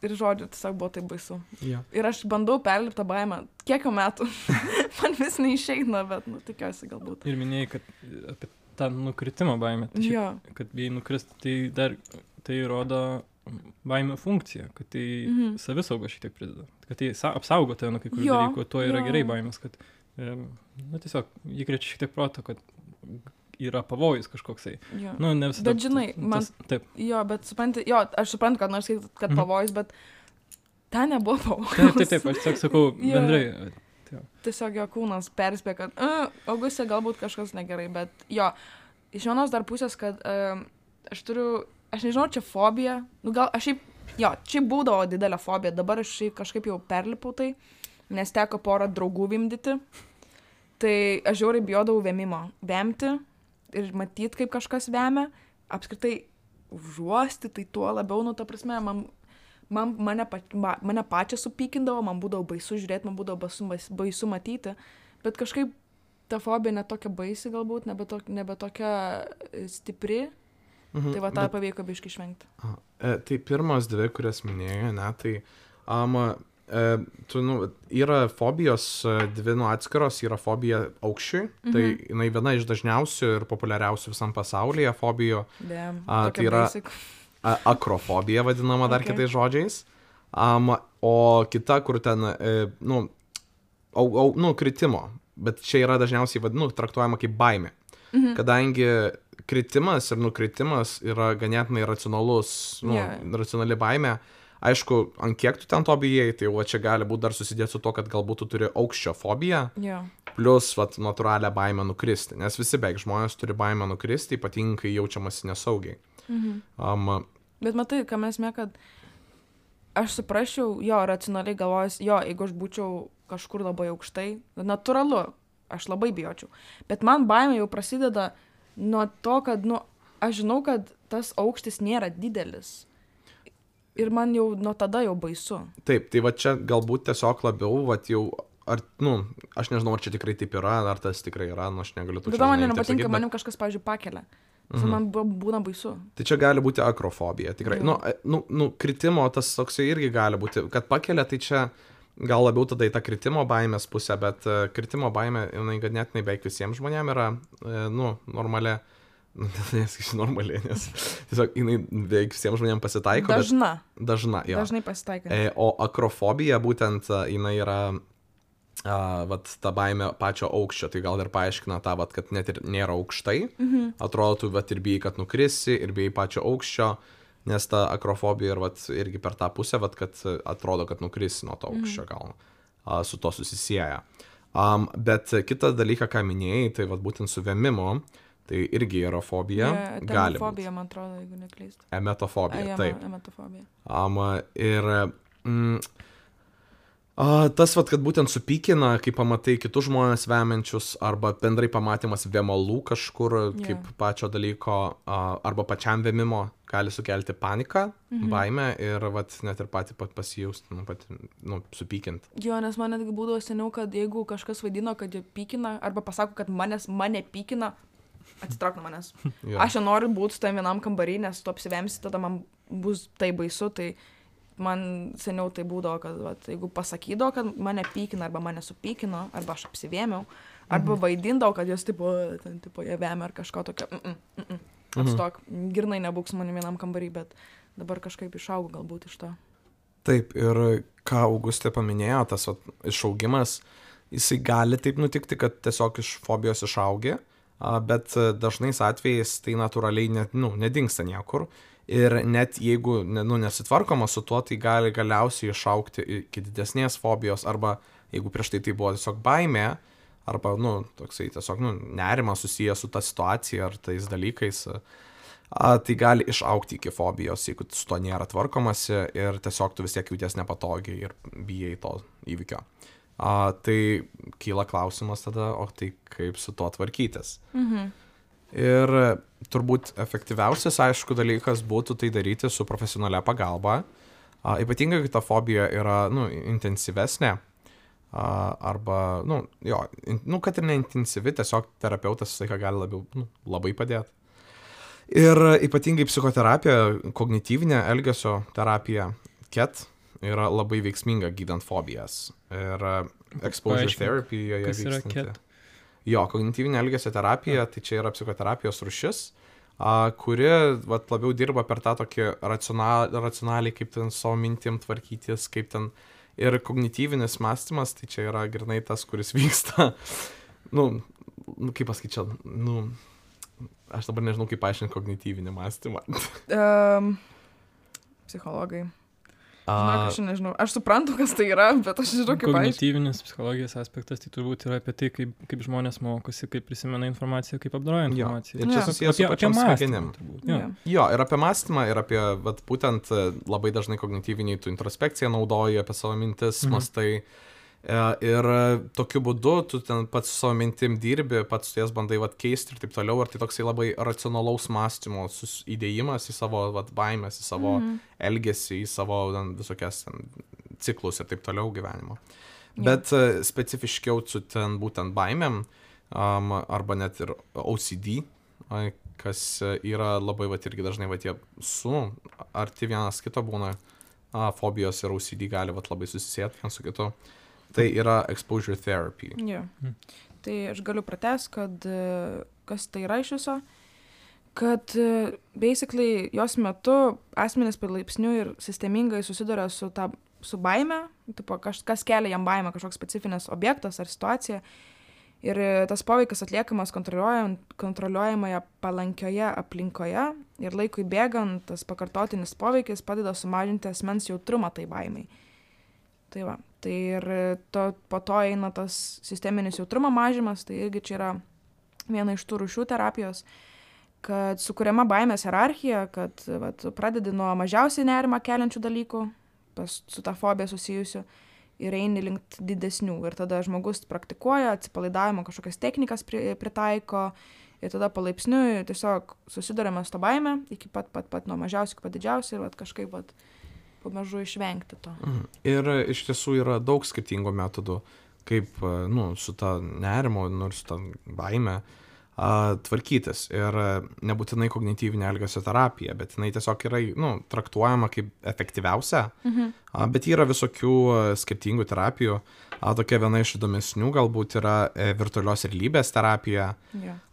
ir žodžiu, tiesiog buvo taip baisu. Yeah. Ir aš bandau perlipti tą baimę. Kiek jau metų? Man vis neišeina, bet, nu, tikiuosi galbūt. Ir minėjai, kad apie tą nukritimo baimę. Tai šiaip, kad bijai nukristi, tai dar tai rodo baimė funkcija, kad tai savisauga šiek tiek prideda. Kad tai apsaugo tave nuo kai kurių dalykų, tuo yra gerai baimės, kad tiesiog įkrečia šiek tiek proto, kad yra pavojus kažkoksai. Nu, ne visada. Bet žinai, man... Taip. Jo, bet supranti, aš suprantu, kad nors kad pavojus, bet ten nebuvo pavojus. Taip, aš tiesiog sakau bendrai. Tiesiog jo kūnas perspė, kad Augustė galbūt kažkas negerai, bet jo, iš vienos dar pusės, kad aš nežinau, čia fobija, nu gal aš šiaip būdavo didelė fobija, dabar aš kažkaip jau perlipau tai, nes teko porą draugų vimdyti, tai aš žiauriai bijodavau vemti ir matyti, kaip kažkas vemia, apskritai užuosti, tai tuo labiau, nu ta prasme, mane pačią supykindavo, man būdavo baisu žiūrėti, man būdavo baisu matyti, bet kažkaip ta fobija netokia baisi galbūt, nebe tokia stipri, tai va tą pavyko biškį išvengti. Tai pirmos dvi, kurias minėjo, ne, tai Yra fobijos dvi atskiros, yra fobija aukščiui, tai jinai viena iš dažniausių ir populiariausių visam pasaulyje fobijų. Tai yra akrofobija vadinama dar kitais žodžiais. O kita, kur ten, kritimo, bet čia yra dažniausiai traktuojama kaip baimė. Kadangi kritimas ir nukritimas yra ganėtinai racionali baimė. Aišku, ant kiek tu ten to bijai, tai čia gali būti dar susidėti su to, kad galbūt tu turi aukščio fobiją, plus natūralią baimę nukristi, nes visi beveik žmonės turi baimę nukristi, ypatingai jaučiamasi nesaugiai. Bet matai, ką mes kad aš suprasčiau, racionaliai galvojus, jeigu aš būčiau kažkur labai aukštai, natūralu, aš labai bijočiau. Bet man baimė jau prasideda nuo to, kad, aš žinau, kad tas aukštis nėra didelis. Ir man jau nuo tada jau baisu. Taip, tai čia galbūt tiesiog labiau, aš nežinau, ar čia tikrai taip yra, ar tas tikrai yra, aš negaliu to čia. Bet man nepatinka, manim kažkas, pavyzdžiui, pakelia. Man būna baisu. Tai čia gali būti akrofobija, tikrai. Kritimo tas toksai irgi gali būti, kad pakelia, tai čia gal labiau tada į tą kritimo baimės pusę, bet kritimo baimė, jinai ganėtinai beveik visiems žmonėms yra, normali. Normaliai, nes tiesiog jinai beveik visiems žmonėms pasitaiko. Dažna, jo. Dažnai pasitaiko. O akrofobija būtent jinai yra ta baimė pačio aukščio, tai gal ir paaiškina tą, kad net ir nėra aukštai, atrodo, tu ir bijai, kad nukrisi, ir bijai pačio aukščio, nes ta akrofobija irgi per tą pusę, kad atrodo, kad nukrisi nuo to aukščio, gal su to susisieja. Bet kitą dalyką, ką minėjai, tai būtent su vėmimu, tai irgi yra fobija. Emetofobija, man atrodo, jeigu neklystu. Emetofobija, taip. Emetofobija. Tas, kad būtent supykina, kai pamatai kitus žmonės vemiančius, arba bendrai pamatymas vėmalų kažkur, kaip pačio dalyko, arba pačiam vėmimo, gali sukelti paniką, baimę ir net ir patį pasijausti, supykint. Jo, nes man netgi būdavo seniau, kad jeigu kažkas vaidino, kad jie pykina, arba pasako, kad mane pykina, atsitrauk nuo manęs. Aš nenoriu būti su tam vienam kambarį, nes tu apsivemsi, tada man bus tai baisu, tai man seniau tai būdavo, kad jeigu pasakydavo, kad mane pykina, arba mane supykino, arba aš apsivėmiau, arba vaidindavo, kad jos jie vemia ar kažko tokio, atstok, girnai nebūk su manim vienam kambarį, bet dabar kažkaip išaugu galbūt iš to. Taip, ir ką Augustė paminėjo, tas išaugimas, jisai gali taip nutikti, kad tiesiog iš fobijos išaugi, bet dažnais atvejais tai natūraliai nedingsta niekur. Ir net jeigu nesitvarkoma su tuo, tai gali galiausiai išaugti iki didesnės fobijos, arba jeigu prieš tai buvo tiesiog baimė, arba toksai tiesiog nerimas susijęs su ta situacija ar tais dalykais, tai gali išaugti iki fobijos, jeigu su to nėra tvarkomasi ir tiesiog tu vis tiek jauties nepatogiai ir bijai to įvykio. Tai kyla klausimas tada, o tai kaip su to tvarkytis. Ir turbūt efektyviausias, aišku, dalykas būtų tai daryti su profesionalia pagalba. Ypatingai, kai ta fobija yra, intensyvesnė, arba, kad ir neintensyvi, tiesiog terapeutas visą laiką gali labiau, labai padėti. Ir ypatingai psichoterapija, kognityvinė elgesio terapija, KET, yra labai veiksminga gydant fobijas. Ir exposure therapy joje vykstanti. Jo, kognityvinė elgesio terapija, tai čia yra psichoterapijos rūšis, kuri labiau dirba per tą tokį racionaliai, kaip ten savo mintim tvarkytis, kaip ten. Ir kognityvinis mąstymas, tai čia yra grynai tas, kuris vyksta, kaip pasakyti čia, aš dabar nežinau, kaip paaiškinti kognityvinį mąstymą. Psichologai. Aš nežinau, aš suprantu, kas tai yra, bet aš nežinau, kaip kognityvinis psichologijos aspektas, tai turbūt yra apie tai, kaip žmonės mokosi, kaip prisimena informaciją, kaip apdoroja informaciją. Ir čia susijęs su pačiom smegenim. Jo, ir apie mąstymą, ir apie, būtent labai dažnai kognityviniai tu introspekciją naudoji, apie savo mintis, mąstai. Ir tokiu būdu tu ten pats su savo mintim dirbi, pats jas bandai keisti ir taip toliau, ir tai toksai labai racionalaus mąstymo įdėjimas į savo baimės, į savo elgesį, į savo visokias ciklus ir taip toliau gyvenimo. Bet specifiškiau su ten būtent baimėm, arba net ir OCD, kas yra labai irgi dažnai tie arti vienas kito būna, fobijos ir OCD gali vat labai susisėti vienas su kitu. Tai yra exposure therapy. Yeah. Tai aš galiu pratęs, kad kas tai yra iš viso, kad basically jos metu asmenys palaipsniui ir sistemingai susiduria su baime, tipo, kas kelia jam baimę, kažkoks specifinis objektas ar situacija. Ir tas poveikis atliekamas kontroliuojamoje palankioje aplinkoje ir laikui bėgant tas pakartotinis poveikis padeda sumažinti asmens jautrumą tai baimei. Tai va, tai ir po to eina tas sisteminis jautrumo mažymas, tai irgi čia yra viena iš tų rūšių terapijos, kad sukuriama baimės hierarchija, kad vat, pradedi nuo mažiausiai nerimą keliančių dalykų, su ta fobija susijusių, ir eini link didesnių. Ir tada žmogus praktikuoja, atsipalaidavimo kažkokias technikas pritaiko, ir tada palaipsniui tiesiog susiduriame su to baime, iki pat nuo mažiausių iki pat didžiausių, ir vat, kažkaip vat, pamažu išvengti to. Ir iš tiesų yra daug skirtingų metodų, kaip su ta nerimo, su ta baime tvarkytis. Ir nebūtinai kognityvinė elgesio terapija, bet jinai tiesiog yra traktuojama kaip efektyviausia. Bet yra visokių skirtingų terapijų. Tokia viena iš įdomesnių galbūt yra virtualios realybės terapija.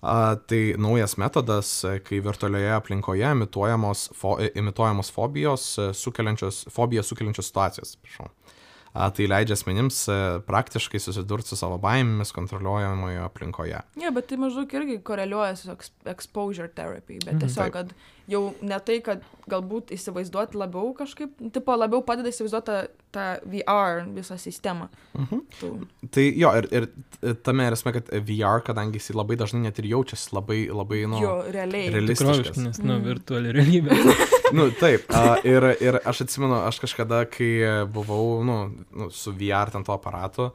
Tai naujas metodas, kai virtualioje aplinkoje imituojamos fobijos sukeliančios situacijos. Tai leidžia asmenims praktiškai susidurti su savo baimėmis kontroliuojamoje aplinkoje. Bet tai maždaug irgi koreliuoja su exposure therapy, bet tiesiog, kad jau ne tai, kad galbūt įsivaizduoti labiau kažkaip, tipo labiau padeda įsivaizduoti tą VR visą sistemą. Tai jo, ir tame esmė, kad VR, kadangi jis labai dažnai net ir jaučiasi labai realistiškas. Nes, virtuali realybė. Taip, ir aš atsimenu, aš kažkada, kai buvau, su VR ten to aparatu,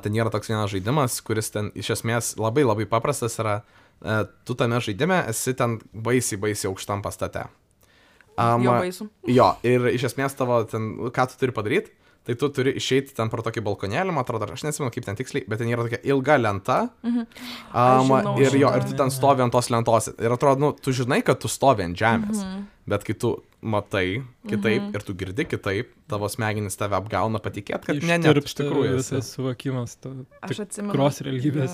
ten yra toks vienas žaidimas, kuris ten iš esmės labai labai paprastas yra, tu tame žaidime esi ten baisiai aukštam pastate. Jo baisu. Jo, ir iš esmės tavo ten, ką tu turi padaryti, tai tu turi išeiti ten pro tokį balkonėlį, man atrodo, aš neatsimenu kaip ten tiksliai, bet ten yra tokia ilga lenta. Ir tu ten stovi ant tos lentos. Ir atrodo, tu žinai, kad tu stovi ant žemės, bet kai tu matai kitaip ir tu girdi kitaip, tavo smegenys tave apgauna patikėti, kad ne, iš tikrųjų visas suvokimas aš atsimenu tikros realybės.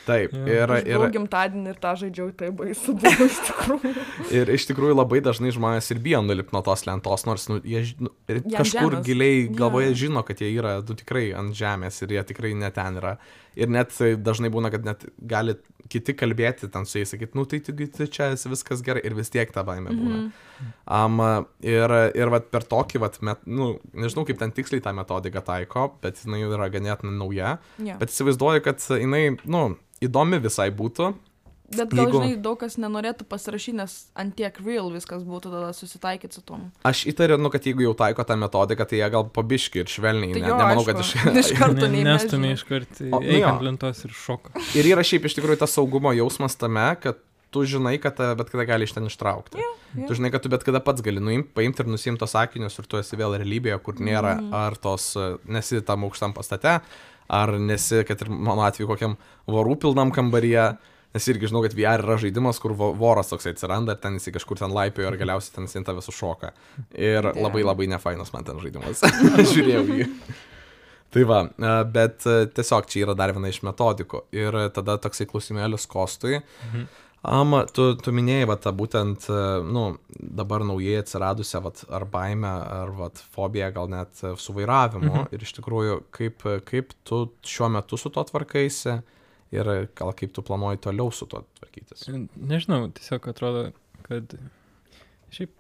Taip. Aš buvau gimtadienį ir tą žaidžiau, tai baisu buvo iš tikrųjų. Ir iš tikrųjų labai dažnai žmonės ir bijo nulipti nuo tos lentos, nors jie kažkur giliai galvoje žino, kad jie yra tikrai ant žemės ir jie tikrai ne ten yra. Ir net dažnai būna, kad net gali kiti kalbėti ten su jais, sakyti, tai čia viskas gerai ir vis tiek ta baimė būna. Ir vat per tokį, nežinau kaip ten tiksliai tą metodiką taiko, bet jinai yra ganėtinai nauja, bet įsivaizduoju, kad jinai, įdomi visai būtų. Bet gal, žinai, daug kas nenorėtų pasirašyti, nes antiek real viskas būtų tada susitaikyti su tom. Aš įtariu, kad jeigu jau taiko tą metodiką, tai jie gal pabiški ir švelniai. Tai nemanau, kad iš karto nestumė iš karto ant lentos ir šoka. Ir yra šiaip iš tikrųjų tas saugumo jausmas tame, kad tu žinai, kad bet kada gali iš ten ištraukti. Tu žinai, kad tu bet kada pats gali paimti ir nusimti tos akinius ir tu esi vėl realybėje, kur nėra ar tos, nesi tam aukštam pastate, ar nesi, kad ir mano atveju, kokiam vorų pilnam kambaryje. Nes irgi žinau, kad VR yra žaidimas, kur voras toksai atsiranda ir ten jis kažkur ten laipiojo ir galiausiai ten jis tave sušoka. Ir labai nefainas man ten žaidimas. Žiūrėjau jį. Tai va, bet tiesiog čia yra dar viena iš metodikų. Ir tada toksai klausimėlis Kostui. Tu minėjai būtent, dabar naujai atsiradusią ar baimę, ar fobiją, gal net su vairavimu. Ir iš tikrųjų, kaip tu šiuo metu su to tvarkaisi? Ir gal kaip tu planuoji toliau su to tvarkytis? Nežinau, tiesiog atrodo, kad šiaip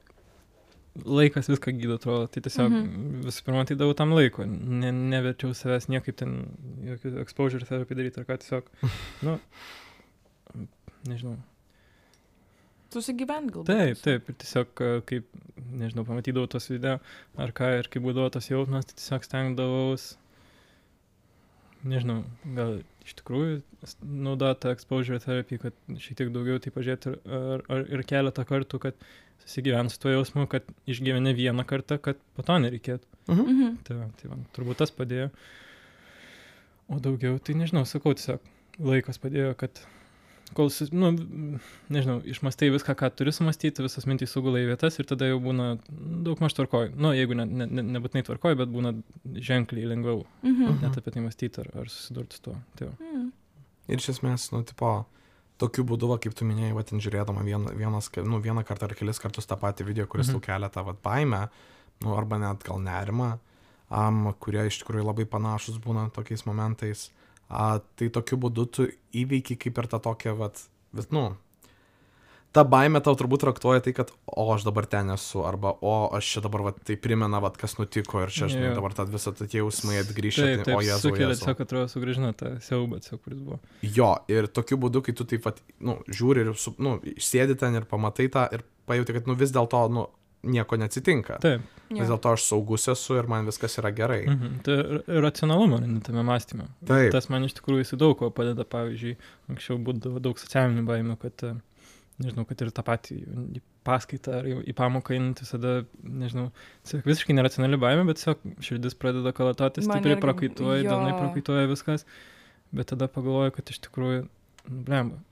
laikas viską gydo, atrodo. Tai tiesiog visų pirma, tai davau tam laiko. Neverčiau savęs niekaip ten jokių exposure therapy daryti, ar ką tiesiog, nežinau. Susigyvent galbūt. Taip. Ir tiesiog, kaip, nežinau, pamatydavau tos video, ar ką, ir kaip būdavo tas jausmas, tai tiesiog stengdavaus, nežinau, gal iš tikrųjų naudoti tą exposure therapy, kad šiek tiek daugiau tai pažiūrėti ir keletą kartų, kad susigyvent su tuo jausmu, kad išgyveni vieną kartą, kad po to nereikėtų. Tai man turbūt tas padėjo. O daugiau, tai nežinau, sakau, tiesiog laikas padėjo, kad kol, nu, nežinau, išmastai viską, ką turi sumastyti, visas mintys sugula į vietas ir tada jau būna daug maž tvarkoj. Nu, jeigu nebūtinai tvarkoj, bet būna ženkliai lengviau net apie tai mąstyti ar susidurti su tuo. Tai ir iš esmės, nu, tipo, tokiu būdu, va, kaip tu minėjai, va, ten žiūrėdama vieną kartą ar kelis kartus tą patį video, kuris tau kelia tą va, baimę, nu, arba net gal nerimą, kurie iš tikrųjų labai panašus būna tokiais momentais. Tai tokiu būdu tu įveiki kaip ir tą tokią, nu, ta baimė tau turbūt traktuoja tai, kad, aš dabar ten esu, arba, aš čia dabar, tai primena, kas nutiko ir čia, žinai, dabar visą tie jausmai atgrįžta, tai, o Jėzau. Sukelia tiesiog, atrodo, sugrįžina tą siaubą, kuris buvo. Jo, ir tokiu būdu, kai tu taip, nu, žiūri ir, nu, sėdi ten ir pamatai tą ir pajauti, kad, nu, vis dėlto, nu, nieko neatsitinka. Taip. Vis dėlto aš saugus esu ir man viskas yra gerai. Tai racionalumo tame mąstyme. Taip. Tas man iš tikrųjų jis daug ko padeda, pavyzdžiui, anksčiau būdavo daug socialinių baimių, kad, nežinau, kad ir tą patį į paskaitą ar į pamoką einant visada, nežinau, visiškai neracionali baimė, bet tiesiog širdis pradeda kalatoti, stipriai prakaituoja, delnai prakaituoja viskas, bet tada pagalvoju, kad iš tikrųjų, blemba,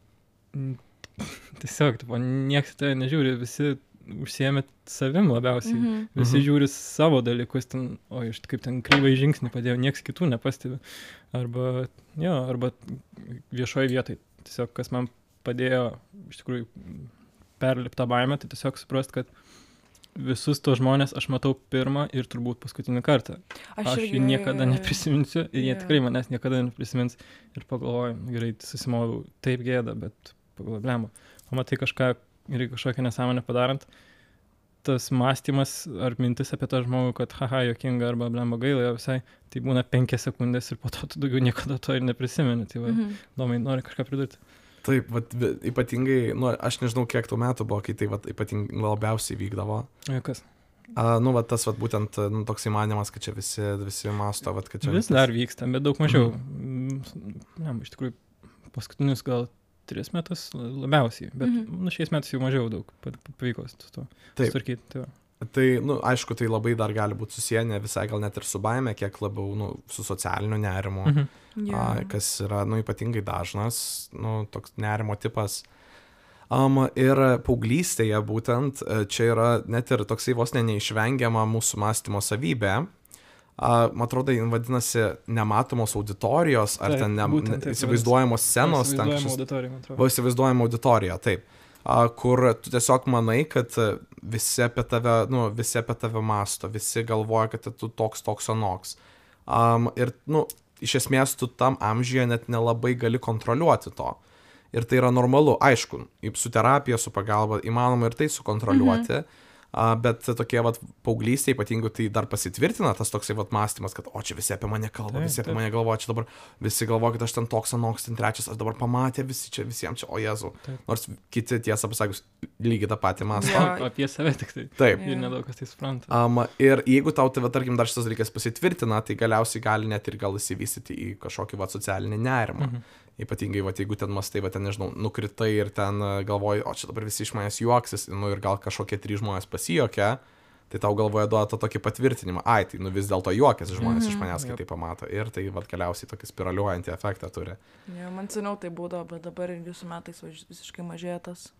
tiesiog, nieks tai nežiūri, visi užsiėmė savim labiausiai, visi žiūri savo dalykus, ten, aš kaip ten kryvai žingsnį padėjau, nieks kitų nepastebi, arba viešoje vietoje, tiesiog kas man padėjo iš tikrųjų perlipti tą baimę, tai tiesiog suprast, kad visus tos žmonės aš matau pirmą ir turbūt paskutinį kartą. Aš jų niekada neprisiminsiu ir jie tikrai manęs niekada neprisimins ir pagalvoju, gerai, susimoviau, taip gėda, bet pagalvoju, blemba, pamatai kažką ir kažkokią nesąmonę padarant, tas mąstymas ar mintis apie tą žmogų, kad haha, jokinga arba blemba gaila visai, tai būna 5 sekundės ir po to tu daugiau niekada to ir neprisimeni. Tai va, Domai, nori kažką pridurti? Taip, ypatingai, nu, aš nežinau, kiek tų metų buvo, kai tai ypatingai labiausiai vykdavo. Kas? Nu, tas būtent toks įmanymas, kad čia visi masto, kad čia... Vis dar vyksta, bet daug mažiau. Iš tikrųjų, paskutinius gal 3 metus labiausiai, bet šiais metais jau mažiau daug pavyko su to sutvarkyti. Tai, nu, aišku, tai labai dar gali būti susiję, ne visai gal net ir su baime, kiek labiau, nu, su socialiniu nerimu, kas yra, nu, ypatingai dažnas, nu, toks nerimo tipas. Ir paauglystėje būtent čia yra net ir toksai vos neišvengiama mūsų mąstymo savybė. Man atrodo, vadinasi nematomos auditorijos, ar ten įsivaizduojamos scenos. Įsivaizduojama auditorija, taip. Kur tu tiesiog manai, kad visi apie tave mąsto, visi galvoja, kad tu toks anoks. Ir, nu, iš esmės tu tam amžiuje net nelabai gali kontroliuoti to. Ir tai yra normalu. Aišku, su terapija, su pagalba įmanoma ir tai sukontroliuoti. Bet tokie paauglystė ypatingai tai dar pasitvirtina tas toksai mąstymas, kad čia visi apie mane kalba, visi apie mane galvoja, čia dabar visi galvoja, kad aš ten toks anoks, ten trečias, aš dabar pamatė visiems čia, o Jėzau. Nors kiti tiesą pasakius lygiai tą patį mąsto. Apie save tik tai. Taip. Ir nedaug kas tai supranta. Ir jeigu tau, tarkim, dar šitas dalykas pasitvirtina, tai galiausiai gali net ir gal įsivystyti į kažkokį socialinį nerimą. Ypatingai, jeigu ten mastai, ten, nežinau, nukritai ir ten galvoji, čia dabar visi iš manęs juoksis, nu ir gal kažkokie 3 žmonės pasijuokia, tai tau galvoja duoda tokį patvirtinimą, tai nu vis dėlto juokiasi žmonės iš manęs, kai tai pamato. Ir tai galiausiai tokį spiraliuojantį efektą turi. Man seniau tai būdavo, bet dabar jūsų metais visiškai mažėja tas.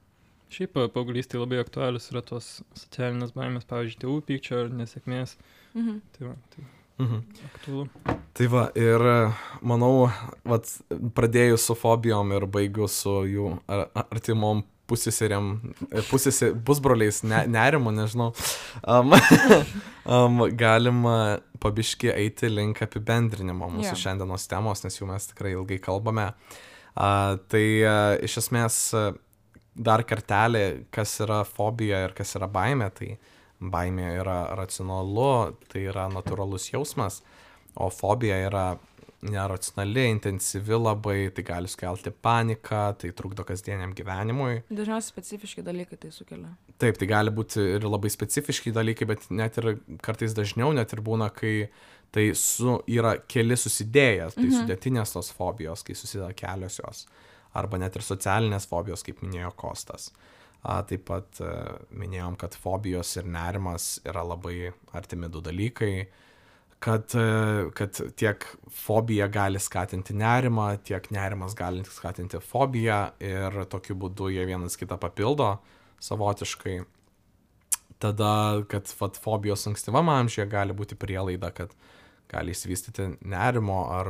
Šiaip paauglystėje labai aktualius yra tos socialinės baimės, pavyzdžiui, tėvų pykčio ar nesėkmės. Tai aktualu. Tai va, ir manau, pradėjus su fobijom ir baigius su jų artimom pusbroliais nerimu, nežinau, galima pabiški eiti link apibendrinimo mūsų šiandienos temos, nes jau mes tikrai ilgai kalbame. Tai iš esmės dar kartelį, kas yra fobija ir kas yra baimė, tai baimė yra racionalu, tai yra natūralus jausmas, o fobija yra neracionali, intensyvi labai, tai gali sukelti paniką, tai trukdo kasdieniam gyvenimui. Dažniausiai specifiški dalykai tai sukelia. Taip, tai gali būti ir labai specifiški dalykai, bet net ir kartais dažniau net ir būna, kai tai yra keli susidėjęs, tai sudėtinės tos fobijos, kai susideda kelios jos, arba net ir socialinės fobijos, kaip minėjo Kostas. Taip pat minėjom, kad fobijos ir nerimas yra labai artimi 2 dalykai, kad tiek fobija gali skatinti nerimą, tiek nerimas gali skatinti fobiją ir tokiu būdu jie vienas kitą papildo savotiškai. Tada, kad fobijos ankstyvam amžiuje gali būti prielaida, kad gali įsivystyti nerimo ar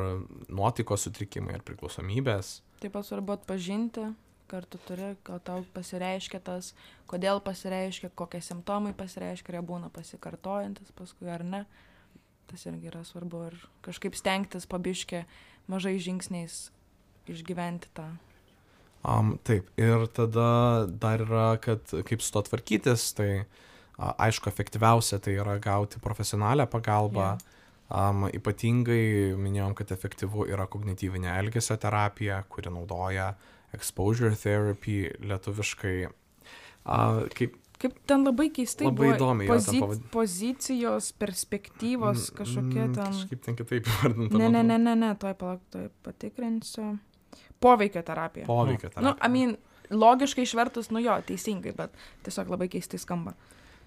nuotaikos sutrikimai ar priklausomybės. Taip pat svarbu atpažinti, kartu turi, kad tau pasireiškia tas, kodėl pasireiškia, kokie simptomai pasireiškia, ar jie būna pasikartojantis paskui ar ne. Tas irgi yra svarbu ir kažkaip stengtis pabiškė mažai žingsniais išgyventi tą. Taip, ir tada dar yra, kad kaip su to tvarkytis, tai aišku, efektyviausia tai yra gauti profesionalią pagalbą. Ypatingai minėjom, kad efektyvu yra kognityvinė elgesio terapija, kuri naudoja exposure therapy lietuviškai. Kaip ten labai keistai labai buvo įdomiai pozicijos, perspektyvos, kažkokie ten... Kažkaip ten kitaip įvardinta. Ne, tuoj patikrinsiu. Poveikio terapija. Poveikio terapija. Logiškai išvertus, jo, teisingai, bet tiesiog labai keistai skamba.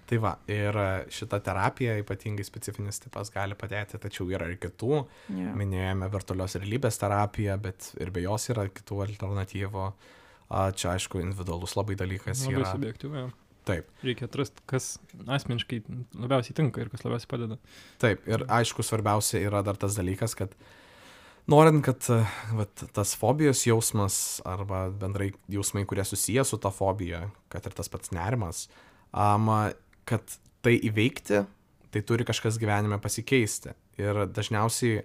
Tai va, ir šita terapija, ypatingai specifinis tipas, gali padėti, tačiau yra ir kitų. Minėjome virtualios realybės terapiją, bet ir be jos yra kitų alternatyvų. Čia, aišku, individualus labai dalykas labai yra. Labai subjektyvu, jo. Taip. Reikia atrasti, kas asmeniškai labiausiai tinka ir kas labiausiai padeda. Taip, ir aišku, svarbiausia yra dar tas dalykas, kad norint, kad tas fobijos jausmas arba bendrai jausmai, kurie susiję su ta fobija, kad ir tas pats nerimas, kad tai įveikti, tai turi kažkas gyvenime pasikeisti. Ir dažniausiai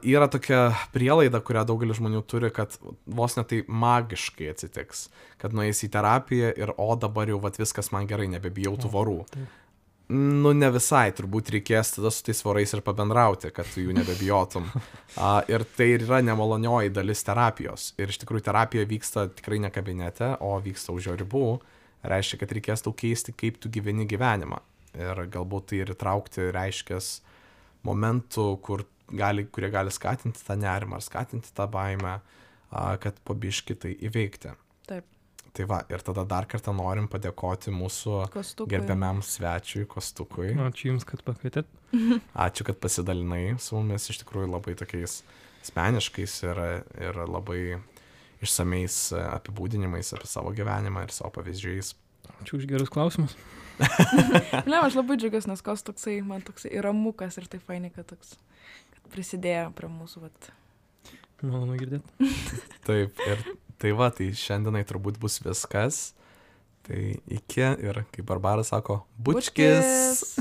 yra tokia prielaida, kurią daugelis žmonių turi, kad vos ne tai magiškai atsitiks, kad nueis į terapiją ir dabar jau viskas man gerai, nebebijau tų vorų. Ne visai, turbūt reikės tada su tais vorais ir pabendrauti, kad tu jų nebebijotum. Ir tai yra nemalonioji dalis terapijos. Ir iš tikrųjų terapija vyksta tikrai ne kabinete, o vyksta už jo ribų. Reiškia, kad reikės tau keisti, kaip tu gyveni gyvenimą. Ir galbūt tai ir įtraukti reiškės momentų, kurie gali skatinti tą nerimą ar skatinti tą baimę, kad po biškį tai įveikti. Taip. Tai va, ir tada dar kartą norim padėkoti mūsų gerbiamiam svečiui Kostukui. Ačiū Jums, kad pakvietėt. Ačiū, kad pasidalinai su mumis iš tikrųjų labai tokiais asmeniškais ir labai išsamiais apibūdinimais apie savo gyvenimą ir savo pavyzdžiais. Ačiū už gerus klausimus. Ne, aš labai džiugiuosi, nes Kostuksai man toksai ramukas ir tai fainai, kad prisidėjo prie mūsų. Malonu girdėti. Taip, ir tai šiandienai turbūt bus viskas. Tai iki ir, kaip Barbara sako, bučkis.